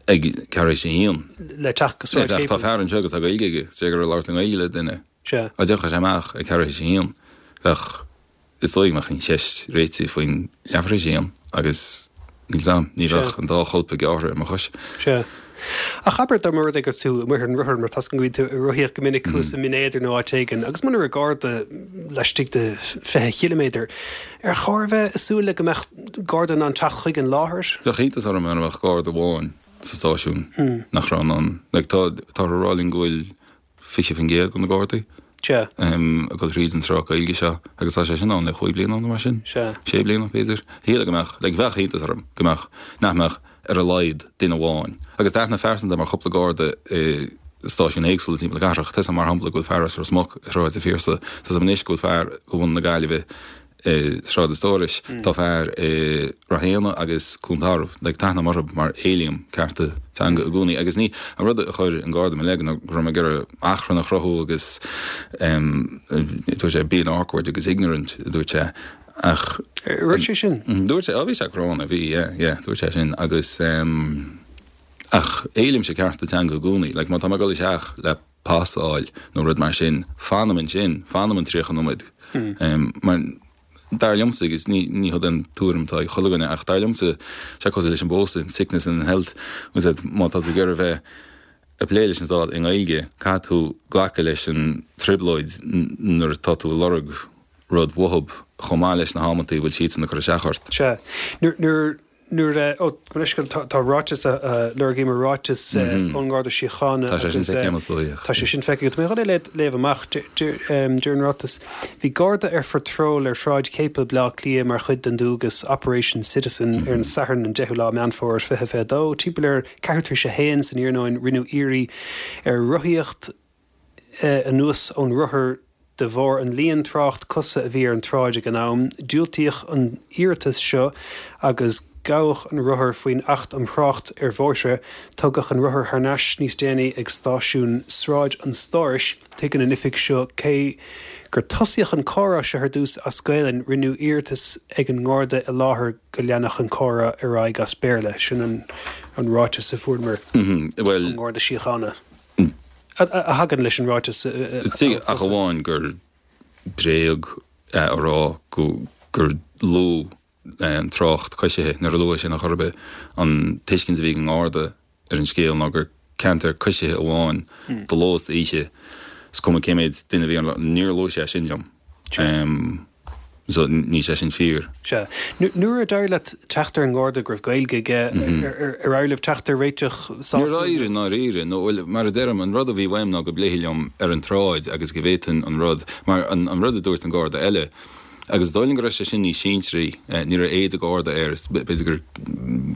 ag ceathrú théis a haon. Le teacht go Sráid Chéipil. Tá fear anseo agus tá Gaeilge aige, is é gur labhairt i nGaeilge le duine. Dá dtiocfadh sé amach ag ceathrú théis a haon, bheadh, is dóigh go mbeadh an cheist réitithe faoin leathuair théis a haon agus Níl 's a'm, ní bheadh an dá cholpa gearrtha ar mo chois. Sea. Ach abair dá mba rud é go raibh tú amuigh ar an rothar, mar tá's agam go mbíonn tú ag rothaíocht go minic thuas i mBinn Éadair nó áit éigin, agus muna raibh garda laistigh de 20 chiliméadar, ar chóir a bheith ag súil le go mbeadh garda in ann teacht chuig an láthair? Bheadh iontas orm mura mbeadh garda amháin sa stáisiún nach raibh in ann. Like, tá, táthar ag rá linn go bhfuil 20% de na gardaí. Sea. Ag dul thríd an sruth Gaeilge seo agus tá sé sin ann le chúig bliana nó mar sin. Sea. Sé bliana, b'fhéidir. Shílfeá go mbeadh, like, bheadh iontas orm go mbeadh, nach mbeadh ar a laghad duine amháin. Agus tá aithne phearsanta agam ar chúpla garda i stáisiúin éagsúla timpeall na cathrach. Tá 'fhios a'm mar shampla go bhfuil fear as Ros Muc i Sráid an Phiarsaigh. Tá 'fhios a'm anois go bhfuil fear de bhunadh na Gaillimhe i Sráid an Stórais. Tá fear i Ráth Éanna agus Cluain Tarbh. Like, tá aithne agam orthu mar éilím cearta teanga i gcónaí. Agus ní, an rud a chuir an Garda i mo leith ná go raibh mé ag iarraidh achrann a chruthú agus em, dúirt sé being awkward agus ignorant, a dúirt sé. Ach. Dúirt sé sin? Dúirt sé, á bhí sé gránna, bhí, yeah, yeah, dúirt sé sin agus em, ach éilímse cearta teanga i gcónaí. Like, má tá mé ag dul isteach le pas a fháil nó rud mar sin, fanaim ansin, fanaim an 30 nóiméad. Mar dar liomsa, agus ní ní hé an tuairim atá ag chuile dhuine, ach dar liomsa, sé cosúil leis an bpósadh, in sickness and in health, agus that má tá tú ag iarraidh bheith ag plé leis an stát i nGaeilge, caithfidh tú glacadh leis an trioblóid nuair atá tú ag lorg rud uathub, chomh maith leis na hamantaí a bhfuil siadsan ag cur isteach ort. Sea. Nuair, nuair, Nuair a, ó, mo leithscéal, tá, tá ráiteas a, a lorgaíomar ráiteas ón nGarda Síochána Tá sé sin agus feicthe agam is dóigh. tá sé sin feicthe agat. Tá mé chun é a léamh amach. Deir, deir an ráiteas, Bhí Garda ar phatról ar Shráid Chéipil, Baile Átha Cliath mar chuid den dualgas Operation Citizen ar an Satharn an 10ú lá Meán Fómhair 2022. Timpeall ar ceathrú tar éis a haon san iarnóin rinneadh iarraidh ar rothaíocht anuas ón rothar de bharr an líon trácht cosa a bhí ar an tsráid ag an am. Diúltaíodh an iarratas seo agus gabhadh an rothar faoin Acht um Thrácht ar Bhóithre. Tugadh an rothar thar n-ais níos déanaí ag stáisiún Sráid an Stórais. Tuigeann an oifig seo cé gur tosaíodh an comhrá seo ar dtús as Gaelainn, rinneadh iarratas ag an nGarda i láthair go leanfadh an comhrá ar aghaidh as Béarla. Sin an ráiteas a fuaireamar ón nGarda Síochána. A thagann leis an ráiteas a Tuigim, ach amháin gur bréag é a rá gur lú an trácht coisithe nuair a luadh sin ar chor ar bith. An tuiscint a bhí ag an nGarda ar an scéal ná gur ceantar coisithe amháin de ló is d'oíche, is cuma cé méid duine a bhí ann, níor luaigh sé sin liom. So, níl sé sin fíor. Sea. Nuair a d'éirigh leat teacht ar an nGarda go raibh Gaeilge aige, ar éirigh libh teacht ar réiteach sásúil? Níor éirigh, i ndáiríre. Nó, bhuel, mar a deirim, an rud a bhí uaim ná go bpléifí liom ar an tsráid agus go bhféadfainn an rud, mar an rud a dúirt an Garda eile, agus is dóigh liom go raibh sé sin níos sinsearaí, ní raibh éide Garda air, is b'fhéidir gur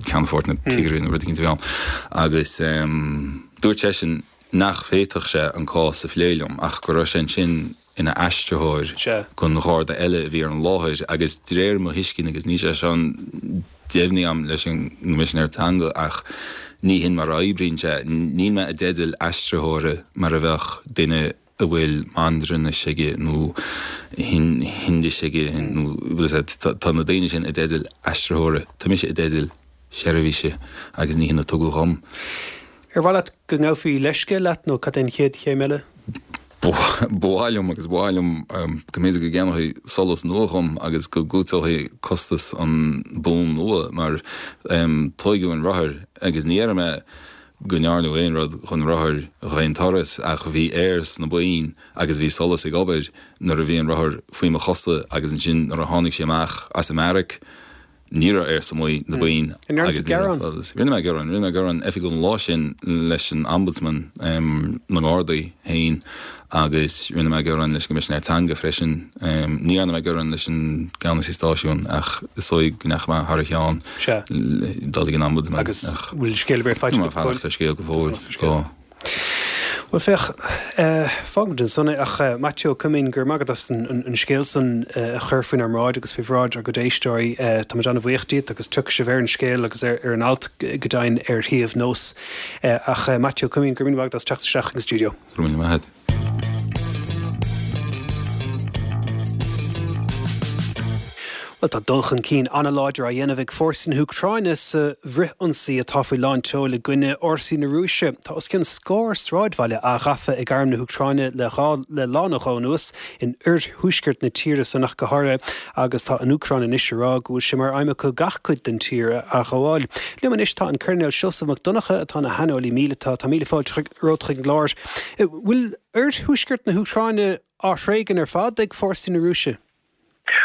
ceannfort nó cigire nó rud eicínt a bhí ann, agus dúirt seisean nach bhféadfadh sé an cás a phlé liom ach go raibh sé ansin ina aistritheoir don gharda eile a bhí ar an láthair agus de réir mo thuiscint, agus níl sé seo deimhnithe agam leis an gCoimisinéir Teanga ach ní hin mar a oibríonn sé, níl mé i dteideal aistritheora mar a bheadh duine a bhfuil Mandairinis aige nó Hindis aige nó bhfuil a fhios agat, tá na daoine sin i dteideal aistritheora, tá mise i dteideal seirbhíse agus ní hin a tugadh dhom. Ar mhaith leat go ngabhfaí leithscéal leat nó cad é an chéad chéim eile? Ba mhaith liom agus ba mhaith liom go mb'fhéidir go gceannófaí solas nua dhom agus go gcúiteofaí costas an bonn nua mar tóigeadh an rothar agus ní dhéarfaidh mé go ndearnadh aon rud dhon rothar d'aon turas ach bhí aer sna boinn agus bhí solas ag obair nuair a bhí an rothar faoi mo chosa agus ansin nuair a tháinig sé amach as an mbeairic Ní raibh aer sna boinn agus ní raibh solas. Rinne mé gearán, rinne mé gearán oifigiúil an lá sin leis an Ombudsman na nGardaí féin agus rinne mé gearán leis an gCoimisinéir Teanga freisin. Ní dhearna mé gearán leis an gceannasaí stáisiúin ach is dóigh go ndeachaigh mé thar a cheann dul ag an Ombudsman. Agus bhfuil scéal ar bith faighte agat go fóill? Tá mé ag fanacht ar scéal go fóill. Tá. Bhuel, féach, fágfaimid ansan é, ach Maitiú Ó Coimín, go raibh maith agat as an scéal san a chur faoinár mbráid agus faoi bhráid ár gcuid éisteoirí. Tá muid an-bhuíoch díot agus tiocfaidh sibh ar an scéal agus ar an alt go deimhin ar shuíomh nós. Ach Maitiú Ó Coimín, go raibh míle maith agat as teacht isteach chuig an stiúideo. Go raibh míle maith agat. Bhuel, tá dul chun cinn an-láidir á dhéanamh ag fórsaí na hÚcráine sa bhfrithionsaí atá faoi lán tseoil i gcoinne fhórsaí na Rúise. Tá os cionn scór sráidbhaile athghafa ag arm na hÚcráine le dhá le lá nó dhó anuas, in oirthuaisceart na tíre san ach go háirithe, agus tá an Úcráin anois ag rá go bhfuil sé mar aidhm acu gach cuid den tír a athghabháil. Liom anois tá an Coirnéal Seosamh Mac Donncha atá ina shaineolaí míleata. Tá míle fáilte romhat chuig an gclár. Bhfuil oirthuaisceart na hÚcráine á thréigean ar fad ag fórsaí na Rúise?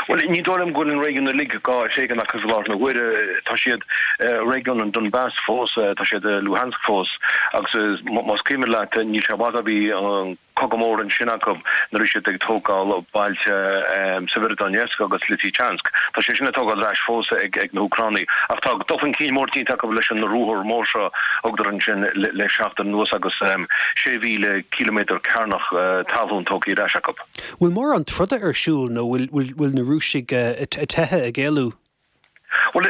Bhuel, ní dóigh liom go bhfuil an réigiún uilig á thréigean acu i láthair na huaire. Tá siad i réigiún an Donbas fós, tá siad i Luhansk fós agus más cuimhin leat níl sé i bhfad ó bhí an. cogadh mór ansin acu nuair a bhí siad ag tógáil bailte Severodonetsk agus Lysychansk. Tá sé sin á tógáil ar ais fós ag na hÚcránaigh. Ach tá dul chun cinn mór déanta acu leis an ruathar mór seo a thugadar ansin le seachtain anuas agus 6,000 ciliméadar cearnach talún tógtha ar ais acu. Bhfuil mórán troda ar siúl nó bhfuil na Rúisigh ag teitheadh, ag éalú? Bhuel,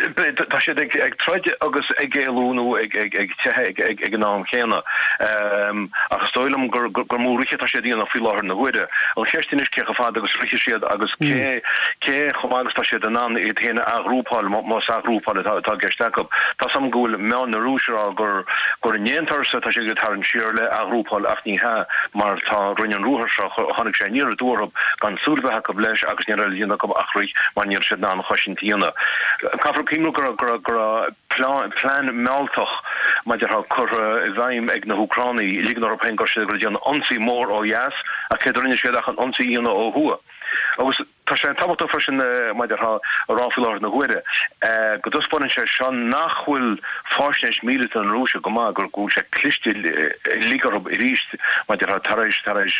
tá siad ag troid agus ag éalú nó ag teitheadh ag an am chéanna. Ach is dóigh liom gur mó rith atá siad a dhéanamh faoi láthair na huaire. An cheist anois cé chomh fada agus a rithfidh siad agus cé cé chomh maith agus atá siad in ann iad féin a athghrúpáil, más athghrúpáil atá i gceist acu. Tá 's agam go bhfuil meáin na Rúise ag rá gur gur in aon turas atá siad ag tarraingt siar le athghrúpáil ach ní hea mar tá rinne an ruathar seo, tháinig sé aniar aduaidh orthu gan súil a bheith acu leis agus ní raibh le déanamh acu ach rith mar ní raibh siad in ann cosaint a dhéanamh. Caithfear cuimhniú go raibh go raibh plean mealltach mar a déarfá curtha i bhfeidhm ag na hÚcránaigh, ligean orthu féin go raibh siad ag déanamh ionsaí mór ó dheas ach céard a rinne siad ach an ionsaí a dhéanamh ó thuaidh. Agus tá sé tábhachtach freisin mar a déarfá a rá faoi láthair na huaire go dtaispeánann sé seo nach bhfuil faisnéis míleata na Rúise go maith, go bhfuil sé cliste uilig orthu arís mar a déarfá tar éis tar éis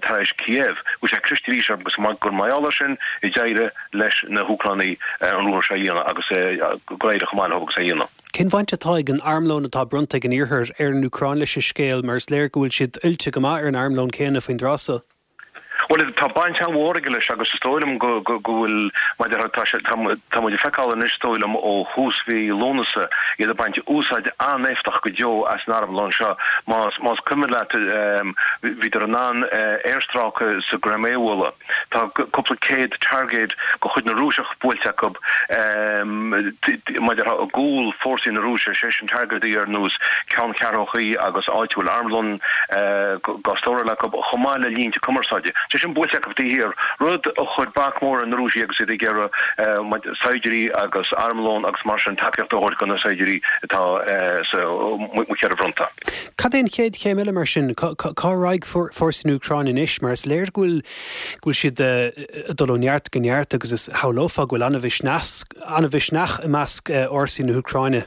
tar éis Kiev, go bhfuil sé cliste arís orthu agus gur mar gheall air sin a d'éirigh leis na hÚcránaigh an ruathar seo a dhéanamh agus gur éirigh chomh maith leo agus é a dhéanamh. Cén bhaint atá ag an armlón atá bronnta ag an Iarthar ar an Úcráin leis an scéal mar is léir go bhfuil siad oilte go maith ar an armlón céanna faoin dtráth so? Bhuel, tá baint an-mhór aige leis agus is dóigh liom go bhfuil, mar a déarfá, tá sé, tá muid ag feiceáil anois, is dóigh liom, ó thús mhí Lúnasa, iad ag baint úsáid an-éifeachtach go deo as an armlón seo. Más, más cuimhin leat, bhíodar in ann aerstráice sa gCrimé a bhualadh. Tá cúpla céad target de chuid na Rúiseach buailte acu, mar a déarfá, i gcúl fórsaí na Rúise, sé sin targetaí ar nós ceanncheathrúchaí agus áit a bhfuil armlón á stóráil acu, chomh maith le línte cumarsáide. Sé sin buailte acu taobh thiar, rud a chuir bac mór ar na Rúisigh agus iad ag iarraidh saighdiúirí agus armlón agus mar sin tacaíocht a thabhairt do na saighdiúirí atá sa cheithre fhronta. Cad é an chéad chéim eile mar sin? Cá raghaidh fórsaí na hÚcráine anois? Mar is léir go bhfuil go bhfuil siad ag dul ó neart go neart agus is shamhlófá go bhfuil an-mhisneach i measc fhórsaí na hÚcráine.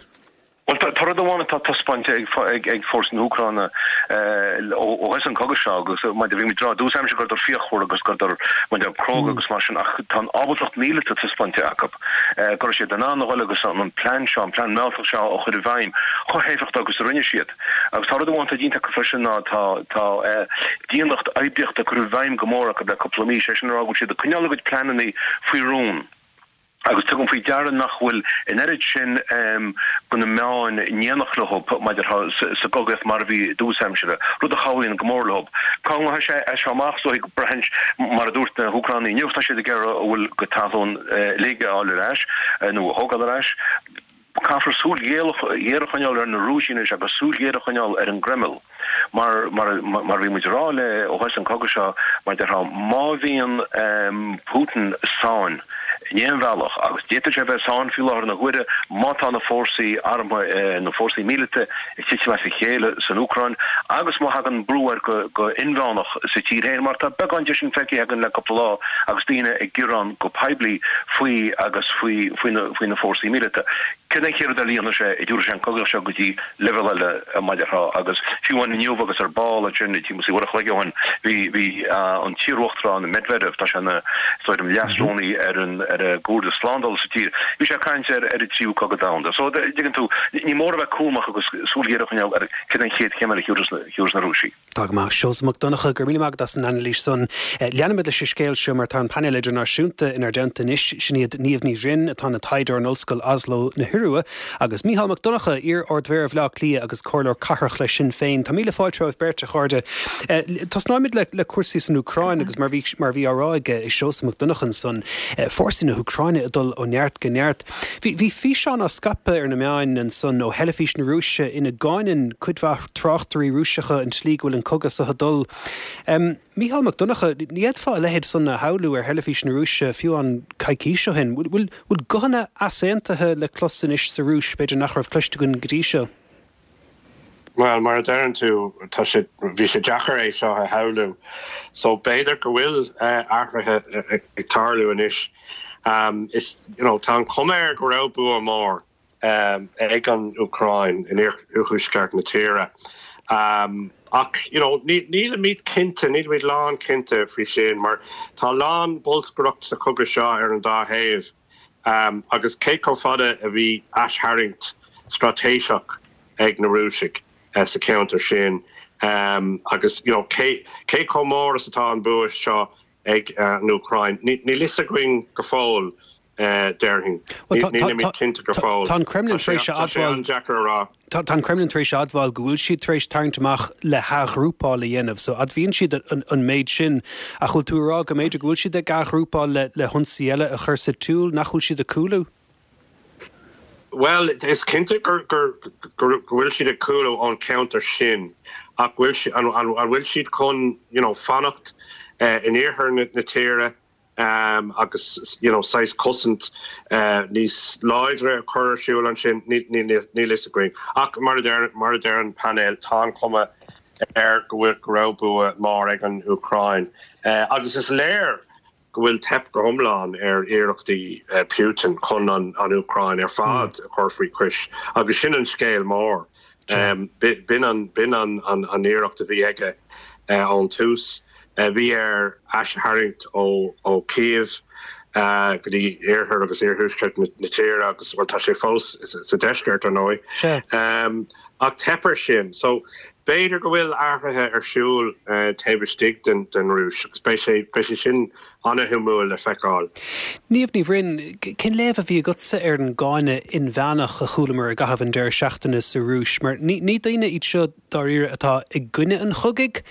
Bhuel, tá rud amháin atá taispeáinte ag fórsaí na hÚcráine ó thús an chogaidh seo agus mar bhí muid ag rá i dtús aimsire go rabhadar fíochmhar agus go rabhadar mar a déarfá cróga agus mar sin ach tá an ábaltacht mhíleata taispeáinte acu go raibh siad in ann a dhul agus an plean seo, an plean mealltach seo a chur i bhfeidhm chomh héifeachtach agus a rinne siad. Agus tá rud amháin atá déanta acu freisin ná tá tá dianacht oibríochta curtha i bhfeidhm go mór acu le cúpla mí, sé sin a rá go bhfuil siad ag coinneáil a gcuid pleananna faoi rún. Agus tugaim faoi deara nach bhfuil an oiread sin de na meáin in éineacht leo mar a déarfá sa gcogaíocht mar a bhí i dtús aimsire, rud a chabhraíonn go mór leo. Cá ngabhfaidh sé as seo amach? Is dóigh, braitheann, mar a dúirt na hÚcránaigh inniu, tá siad ag iarraidh a bhfuil de thalún uilig a fháil ar ais, nó a thógáil ar ais. Caithfear súil ghéar a choinneáil ar na Rúisigh anois agus súil ghéar a choinneáil ar an gCreimil. Mar, mar, mar a bhí muid ag rá le ó thús an chogaidh seo, mar a déarfá, má bhíonn Putin sáinn in aon bhealach, agus d'fhéadfadh sé a bheith sáinn faoi láthair na huaire má tá na fórsaí armtha, na fórsaí míleata ag titim as a chéile san Úcráin agus má thagann brú air go, go inmheánach sa tír féin, mar tá beagán de sin feicthe againn le cúpla lá agus daoine ag gearán go poiblí faoi agus faoi, faoi na, faoi na fórsaí míleata. Céard é an chéad rud eile a dhéanfaidh sé, an dtabharfaidh sé an cogadh seo go dtí leibhéal eile mar a déarfá agus fiú amháin inniu agus ar ball ansin timpeall uair a chloig ó shin bhí, bhí an t-iaruachtarán Medvedev, tá sé ina, is dóigh liom, leasrúnaí ar an, ar an gComhairle Slándála sa tír, bhí sé ag caint ar, ar an tríú cogadh domhanda. So, dtuigeann tú, ní mór a bheith cúramach agus súil ghéar a choinneáil ar céard é an chéad chéim eile a thiúrfas na Rúisigh. Tá go maith. Seosamh Mac Donncha, go raibh míle maith agat as an anailís san. Leanfaimid leis an scéal seo mar tá an painéal idirnáisiúnta inár dteannta anois. Sin iad Niamh Ní Bhroin, atá ina taighdeoir in Ollscoil Oslo na hIorua, agus Mícheál Mac Donncha, iar-Ard-Mhéara Bhaile Átha Cliath agus Comhairleoir Cathrach le Sinn Féin. Tá míle fáilte romhaibh beirt, a chairde. Tosnóimid le cúrsaí san Úcráin agus mar bhí mar bhí á rá ag Seosamh Mac Donncha ansan, fórsaí na hÚcráine ag dul ó neart go neart. Bhí físeán á scaipeadh ar na meáin ansan ó theilifís na Rúise ina gcáineann cuid mhaith tráchtairí Rúiseacha an tslí go bhfuil an cogadh seo ag dul. Mícheál Mac Donncha, ní fhéadfá a leithéid san a shamhlú ar theilifís na Rúise fiú amháin coicís ó shin. Bhfuil guthanna easaontaithe le clos anois sa Rúis, b'fhéidir nach raibh cloiste againn go dtí seo? Bhuel, mar a deireann tú, tá sé, bhí sé deacair é seo a shamhlú. So b'fhéidir go bhfuil athruithe ag tarlú anois. Is, you know, tá an chuma air go raibh bua mór ag an Úcráin in iarthuaisceart na tíre. Ach, you know, nílimid cinnte, nílimid lánchinnte faoi sin mar tá a lán bolscaireacht sa chogadh seo ar an dá thaobh agus cé chomh fada a bhí aistharraingt straitéiseach ag na Rúisigh sa cheantar sin agus, you know, cé chomh mór is atá an bua seo ag an Úcráin, níl fhios againn go fóill. déarfainn. Nílimid cinnte go fóill. Tá an Kremlin tar éis a Tá sé admháil an-deacair a rá. Tá an Kremlin tar éis a admháil go bhfuil siad tar éis tarraingt amach le hathghrúpáil a dhéanamh. So admhaíonn siad an méid sin. Ach bhfuil tú ag rá go mb'fhéidir go bhfuil siad ag athghrúpáil le le hionsaí eile a chur sa tsiúl, nach bhfuil siad ag cúlú? Bhuel, is cinnte gur gur go bhfuil siad ag cúlú ón cheantar sin ach bhfuil an bhfuil siad chun you know fanacht in iarthar na tíre? agus you know saghas cosaint níos láidre a chur ar siúl ansin, níl fhios againn. Ach mar a deir mar a deir an painéal, tá an chuma air go bhfuil go raibh bua mór ag an Úcráin. Agus is léir go bhfuil teip go hiomlán ar iarrachtaí Putin chun an Úcráin ar fad a chur faoi chois agus sin an scéal mór. B'in an an iarracht a bhí aige ón tús. Bhí air aistharraingt ó Kyiv go dtí iarthar agus iarthuaisceart na tíre agus, bhuel, tá sé fós sa deisceart, ar ndóigh. Ach theip air sin. So, b'fhéidir go bhfuil athruithe ar siúl taobh istigh den Rúis agus beidh sé, beidh sé sin an-shuimiúil le feiceáil. Niamh Ní Bhroin, cén léamh a bhí agatsa ar an gcáineadh inmheánach a chualamar i gcaitheamh an deireadh seachtaine sa Rúis? Mar ní daoine iad seo dáiríre atá i gcoinne an chogaidh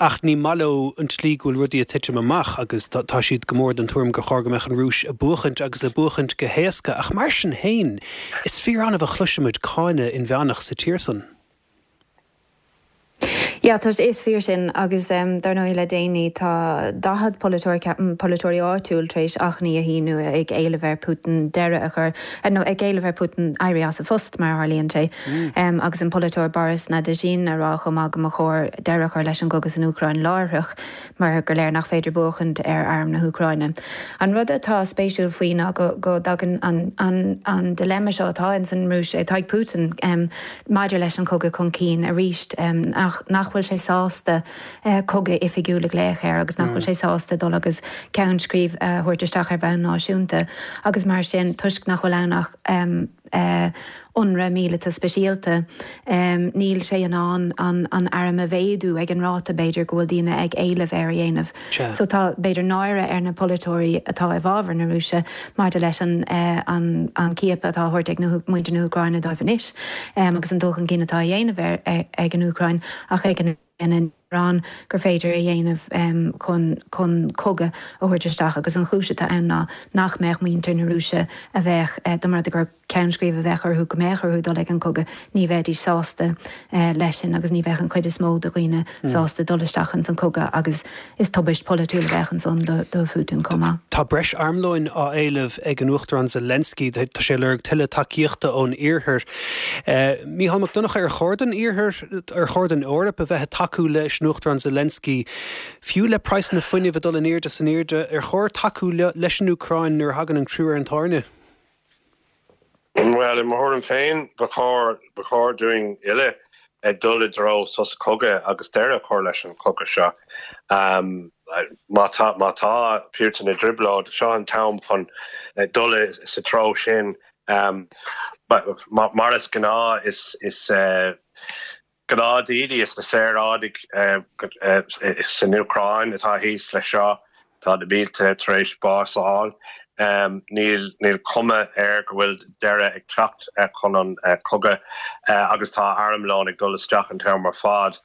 ach ní maith leo an tslí go bhfuil rudaí ag titim amach agus tá siad go mór den tuairim gur chóir go mbeadh an Rúis ag buachaint agus ag buachaint go héasca. Ach mar sin féin, is fíor-annamh a chloisimid cáineadh inmheánach sa tír san. Yeah, tá, is fíor sin agus dar ndóigh le déanaí tá 40 polaiteoir, polaiteoirí áitiúil tar éis achainí a shíniú ag éileamh ar Putin deireadh a chur, nó ag éileamh ar Putin éirí as a phost mar a tharlaíonn sé. Agus an polaiteoir Boris Nadezhdin a rá chomh maith go mba chóir deireadh a chur leis an gcogadh san Úcráin láithreach. mar gur léir nach féidir buachaint ar arm na hÚcráine. An rud atá spéisiúil faoi ná go go dtagann an an an dilemma seo atá ins an Rúis, atá ag Putin maidir leis an chogadh chun cinn arís, nach nach bhfuil sé sásta cogadh oifigiúil a ghlaoch air agus nach bhfuil sé sásta dul agus ceann scríbe a thabhairt isteach ar bhonn náisiúnta agus mar sin toisc nach bhfuil ann ach ionradh míleata speisialta. Níl sé in ann an arm a mhéadú ag an ráta, b'fhéidir, go bhfuil daoine ag éileamh air a dhéanamh. So tá, b'fhéidir, náire ar na polaiteoirí atá i bhfabhar na Rúise maidir leis an an ciapadh atá á thabhairt ag muintir na hÚcráine dóibh anois agus an dul chun cinn atá á dhéanamh ag an Úcráin ach ag an mórán gur féidir a dhéanamh chun chun cogadh a thabhairt isteach agus an chúis atá ann ná nach mbeadh muintir na Rúise a bheadh, dá mba rud é gur ceann scríbe a bheadh orthu go mbeadh orthu dul ag an cogadh, ní bheidís sásta leis sin agus ní bheadh an chuid is mó de dhaoine sásta dul isteach ins an cogadh agus is tubaist pholaitiúil a bheadh ansan do do Phutin chomh maith. Tá breis armlóin á éileamh ag an Uachtarán Zelensky. Tá sé ag lorg tuilleadh tacaíochta ón Iarthar. Mícheál Mac Donncha, ar chóir don Iarthar, ar chóir don Eoraip a bheith ag tacú leis an Uachtarán Zelensky, fiú le praghsanna fuinnimh ag dul in airde is in airde, ar chóir tacú leis an Úcráin nuair a thagann an crú ar an tairne? Bhuel, i mo thuairim féin, ba chóir, ba chóir dúinn uile dul i dtreo sos cogaidh agus deireadh a chur leis an chogadh seo. Má tá, má tá Putin i dtrioblóid, seo an t-am chun dul sa treo sin. Mar is gnáth, is, is Gnáthdaoine is na saoránaigh san Úcráin atá thíos leis seo. Tá na mílte tar éis bás a fháil. Níl cuma air go bhfuil deireadh ag teacht chun an cogadh agus tá armlón ag dul isteach an t-am ar fad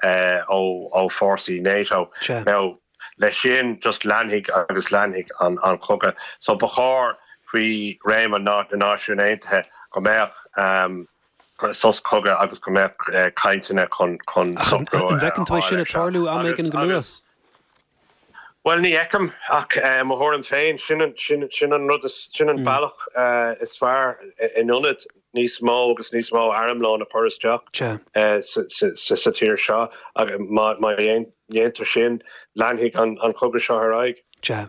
ó fórsaí NATO. Now leis sin just leanfaidh agus leanfaidh an cogadh. So ba chóir faoi réim na Náisiún Aontaithe go mbeadh sos cogaidh agus go mbeadh cainteanna chun socrú An bhfeiceann tú é sin ag tarlú am éigin go luath? Bhuel, ní fheicim, ach mo thuairim féin, sin an rud, sin an bealach is fearr in ionad níos mó agus níos mó armlóin a chur isteach sa tír seo. Má dhéantar sin, leanfaidh an cogadh seo ar aghaidh. Sea.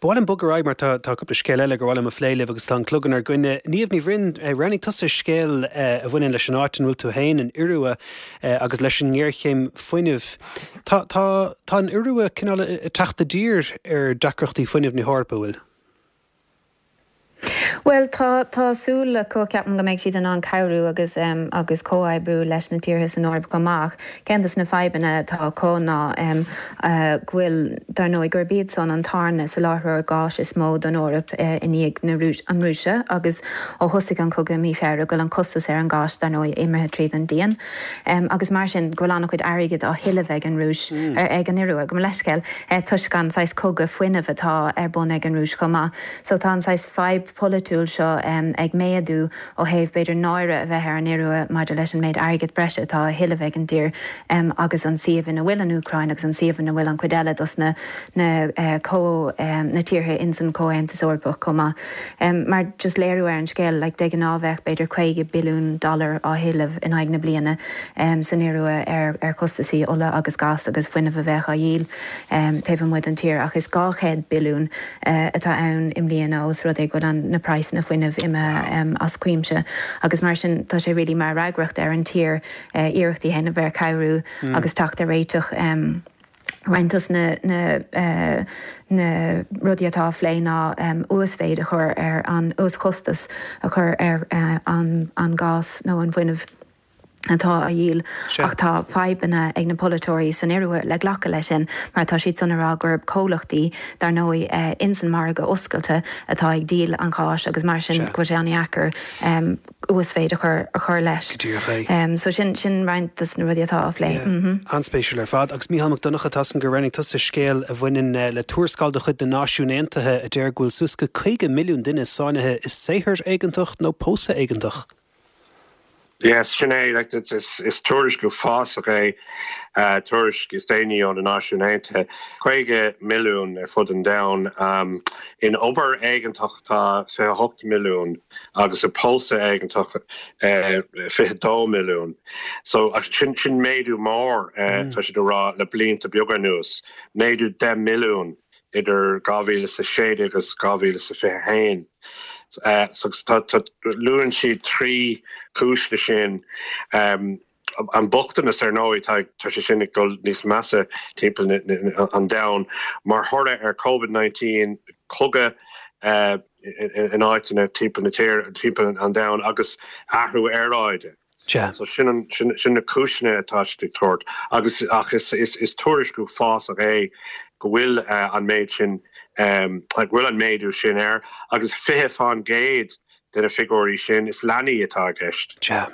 Ba mhaith liom bogadh ar aghaidh mar tá tá cúpla scéal eile gur mhaith liom a phlé libh agus tá an clog inár gcoinne. Niamh Ní Bhroin, roghnaigh tusa scéal a bhaineann leis an áit ina bhfuil tú féin, an Iorua, agus leis an ngéarchéim fuinnimh. Tá tá tá an Iorua cineál ag teacht i dtír ar deacrachtaí fuinnimh na hEorpa, an bhfuil? Bhuel, tá, tá súil acu, ceapaim, go mbeidh siad in ann cabhrú agus, agus comhoibriú leis na tíortha san Eoraip chomh maith. Ach ceann de na fadhbanna atá acu ná go bhfuil, dar ndóigh, gurb iad san an tarna soláthróir gáis is mó don Eoraip i ndiaidh na Rúis, an Rúise agus ó thosaigh an cogadh i mí Feabhra go bhfuil an costas ar an gás, dar ndóigh, imithe tríd an díon. Agus mar sin go bhfuil an-chuid airgid á thuilleamh ag an Rúis, ag an Iorua, gabh mo leithscéal, toisc an saghas cogadh fuinnimh atá ar bun ag an Rúis chomh maith. So tá an saghas fadhb pholaitiúil seo ag méadú ó thaobh b'fhéidir náire a bheith ar an Iorua maidir leis an méid airgid breise atá á thuilleamh ag an dtír agus an suíomh ina bhfuil an Úcráin agus an suíomh ina bhfuil an chuid eile dos na na na tíortha ins an Chomhaontas Eorpach chomh maith. Mar just léiriú ar an scéal like de ghnáth bheadh b'fhéidir 50 billiún dollar á thuilleamh in aghaidh na bliana san Iorua ar ar chostasaí ola agus gas agus fuinneamh a bheadh á dhíol taobh amuigh den tír ach is 200 billiún atá ann i mbliana ós rud é go bhfuil an na praghsanna fuinnimh imithe as cuimse agus mar sin tá sé really mar fhreagracht ar an tír iarrachtaí a dhéanamh ar cabhrú agus teacht ar réiteach. Roinnt dos na na na rudaí atá á phlé ná uasmhéid a chur ar an uaschostas a chur ar an an gás nó an fuinneamh. atá á dhíol ach tá fadhbanna ag na polaiteoirí san Iorua le glacadh leis sin mar tá siad san ag rá gurb comhlachtaí dar ndóigh ins an margadh oscailte atá ag díol an gháis agus mar sin go bhfuil sé an-dheacair uasmhéid a chur a chur leis. Go díreach é. So sin sin roinnt dos na rudaí atá á phlé. An-spéisiúil ar fad. Agus Mícheál Mac Donncha, tá a fhios agam gur roghnaigh tusa scéal a bhaineann le tuarascáil de chuid na Náisiún Aontaithe a deir go bhfuil suas go 50 milliún duine sáinnithe i saothar éigeantach nó pósadh éigeantach. Yes, sin é, like, is, is tuairisc uafásach é, tuairisc is déanaí ó na Náisiúin Aontaithe. 50 milliún ar fud an domhain. Um, in obair éigeantach tá 28 milliún agus i pósadh éigeantach uh, 22 milliún. So sin, sin méadú mór, uh, tá siad ag rá le blianta beaga anuas. Méadú 10 milliún idir 2016 agus 2021. So luann siad 3 chúis le sin. An bochtanas ar ndóigh, tá sé sin ag dul níos measa timpeall an domhain mar thoradh ar Covid-19, cogadh in áiteanna timpeall na tíre, timpeall an domhain agus athrú aeráide. Sea. So sin an, sin, sin na cúiseanna atá siad ag tabhairt. Agus, ach is, is, is tuairisc uafásach é go bhfuil an méid sin, go bhfuil an méadú sin air. Agus 20% de na figiúirí sin, is leanaí atá i gceist. Sea.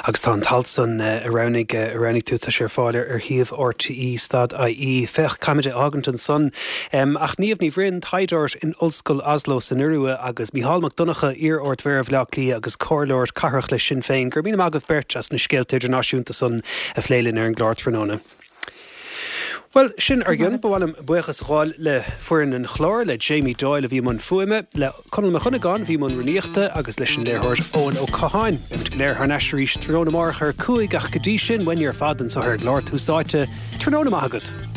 Agus tá an t-alt san a roghnaigh, a roghnaigh tú, tá sé ar fáil ar shuíomh RTÉ stad IE. Féach, caithfimid é a fhágaint ansan. Ach Niamh Ní Bhroin, taighdeoir in Ollscoil Oslo san Iorua, agus Mícheál Mac Donncha, iar-Ard-Mhéara Bhaile Átha Cliath agus Comhairleoir Cathrach le Sinn Féin, go raibh míle maith agaibh beirt as na scéalta idirnáisiúnta san a phlé linn ar an gclár tráthnóna. Bhuel, sin ár gcionn. Ba mhaith liom buíochas a ghabháil le foireann an chláir, le Jamie Doyle a bhí i mbun fuaime, le Conall Mac Dhonnagáin a bhí i mbun rúnaíochta agus leis an léiritheoir Eoin Ó Catháin. Beimid go léir thar n-ais arís tráthnóna amárach ar 5 ach go dtí sin, uainne ar fad anseo ar an gclár Tús Áite, tráthnóna maith agat!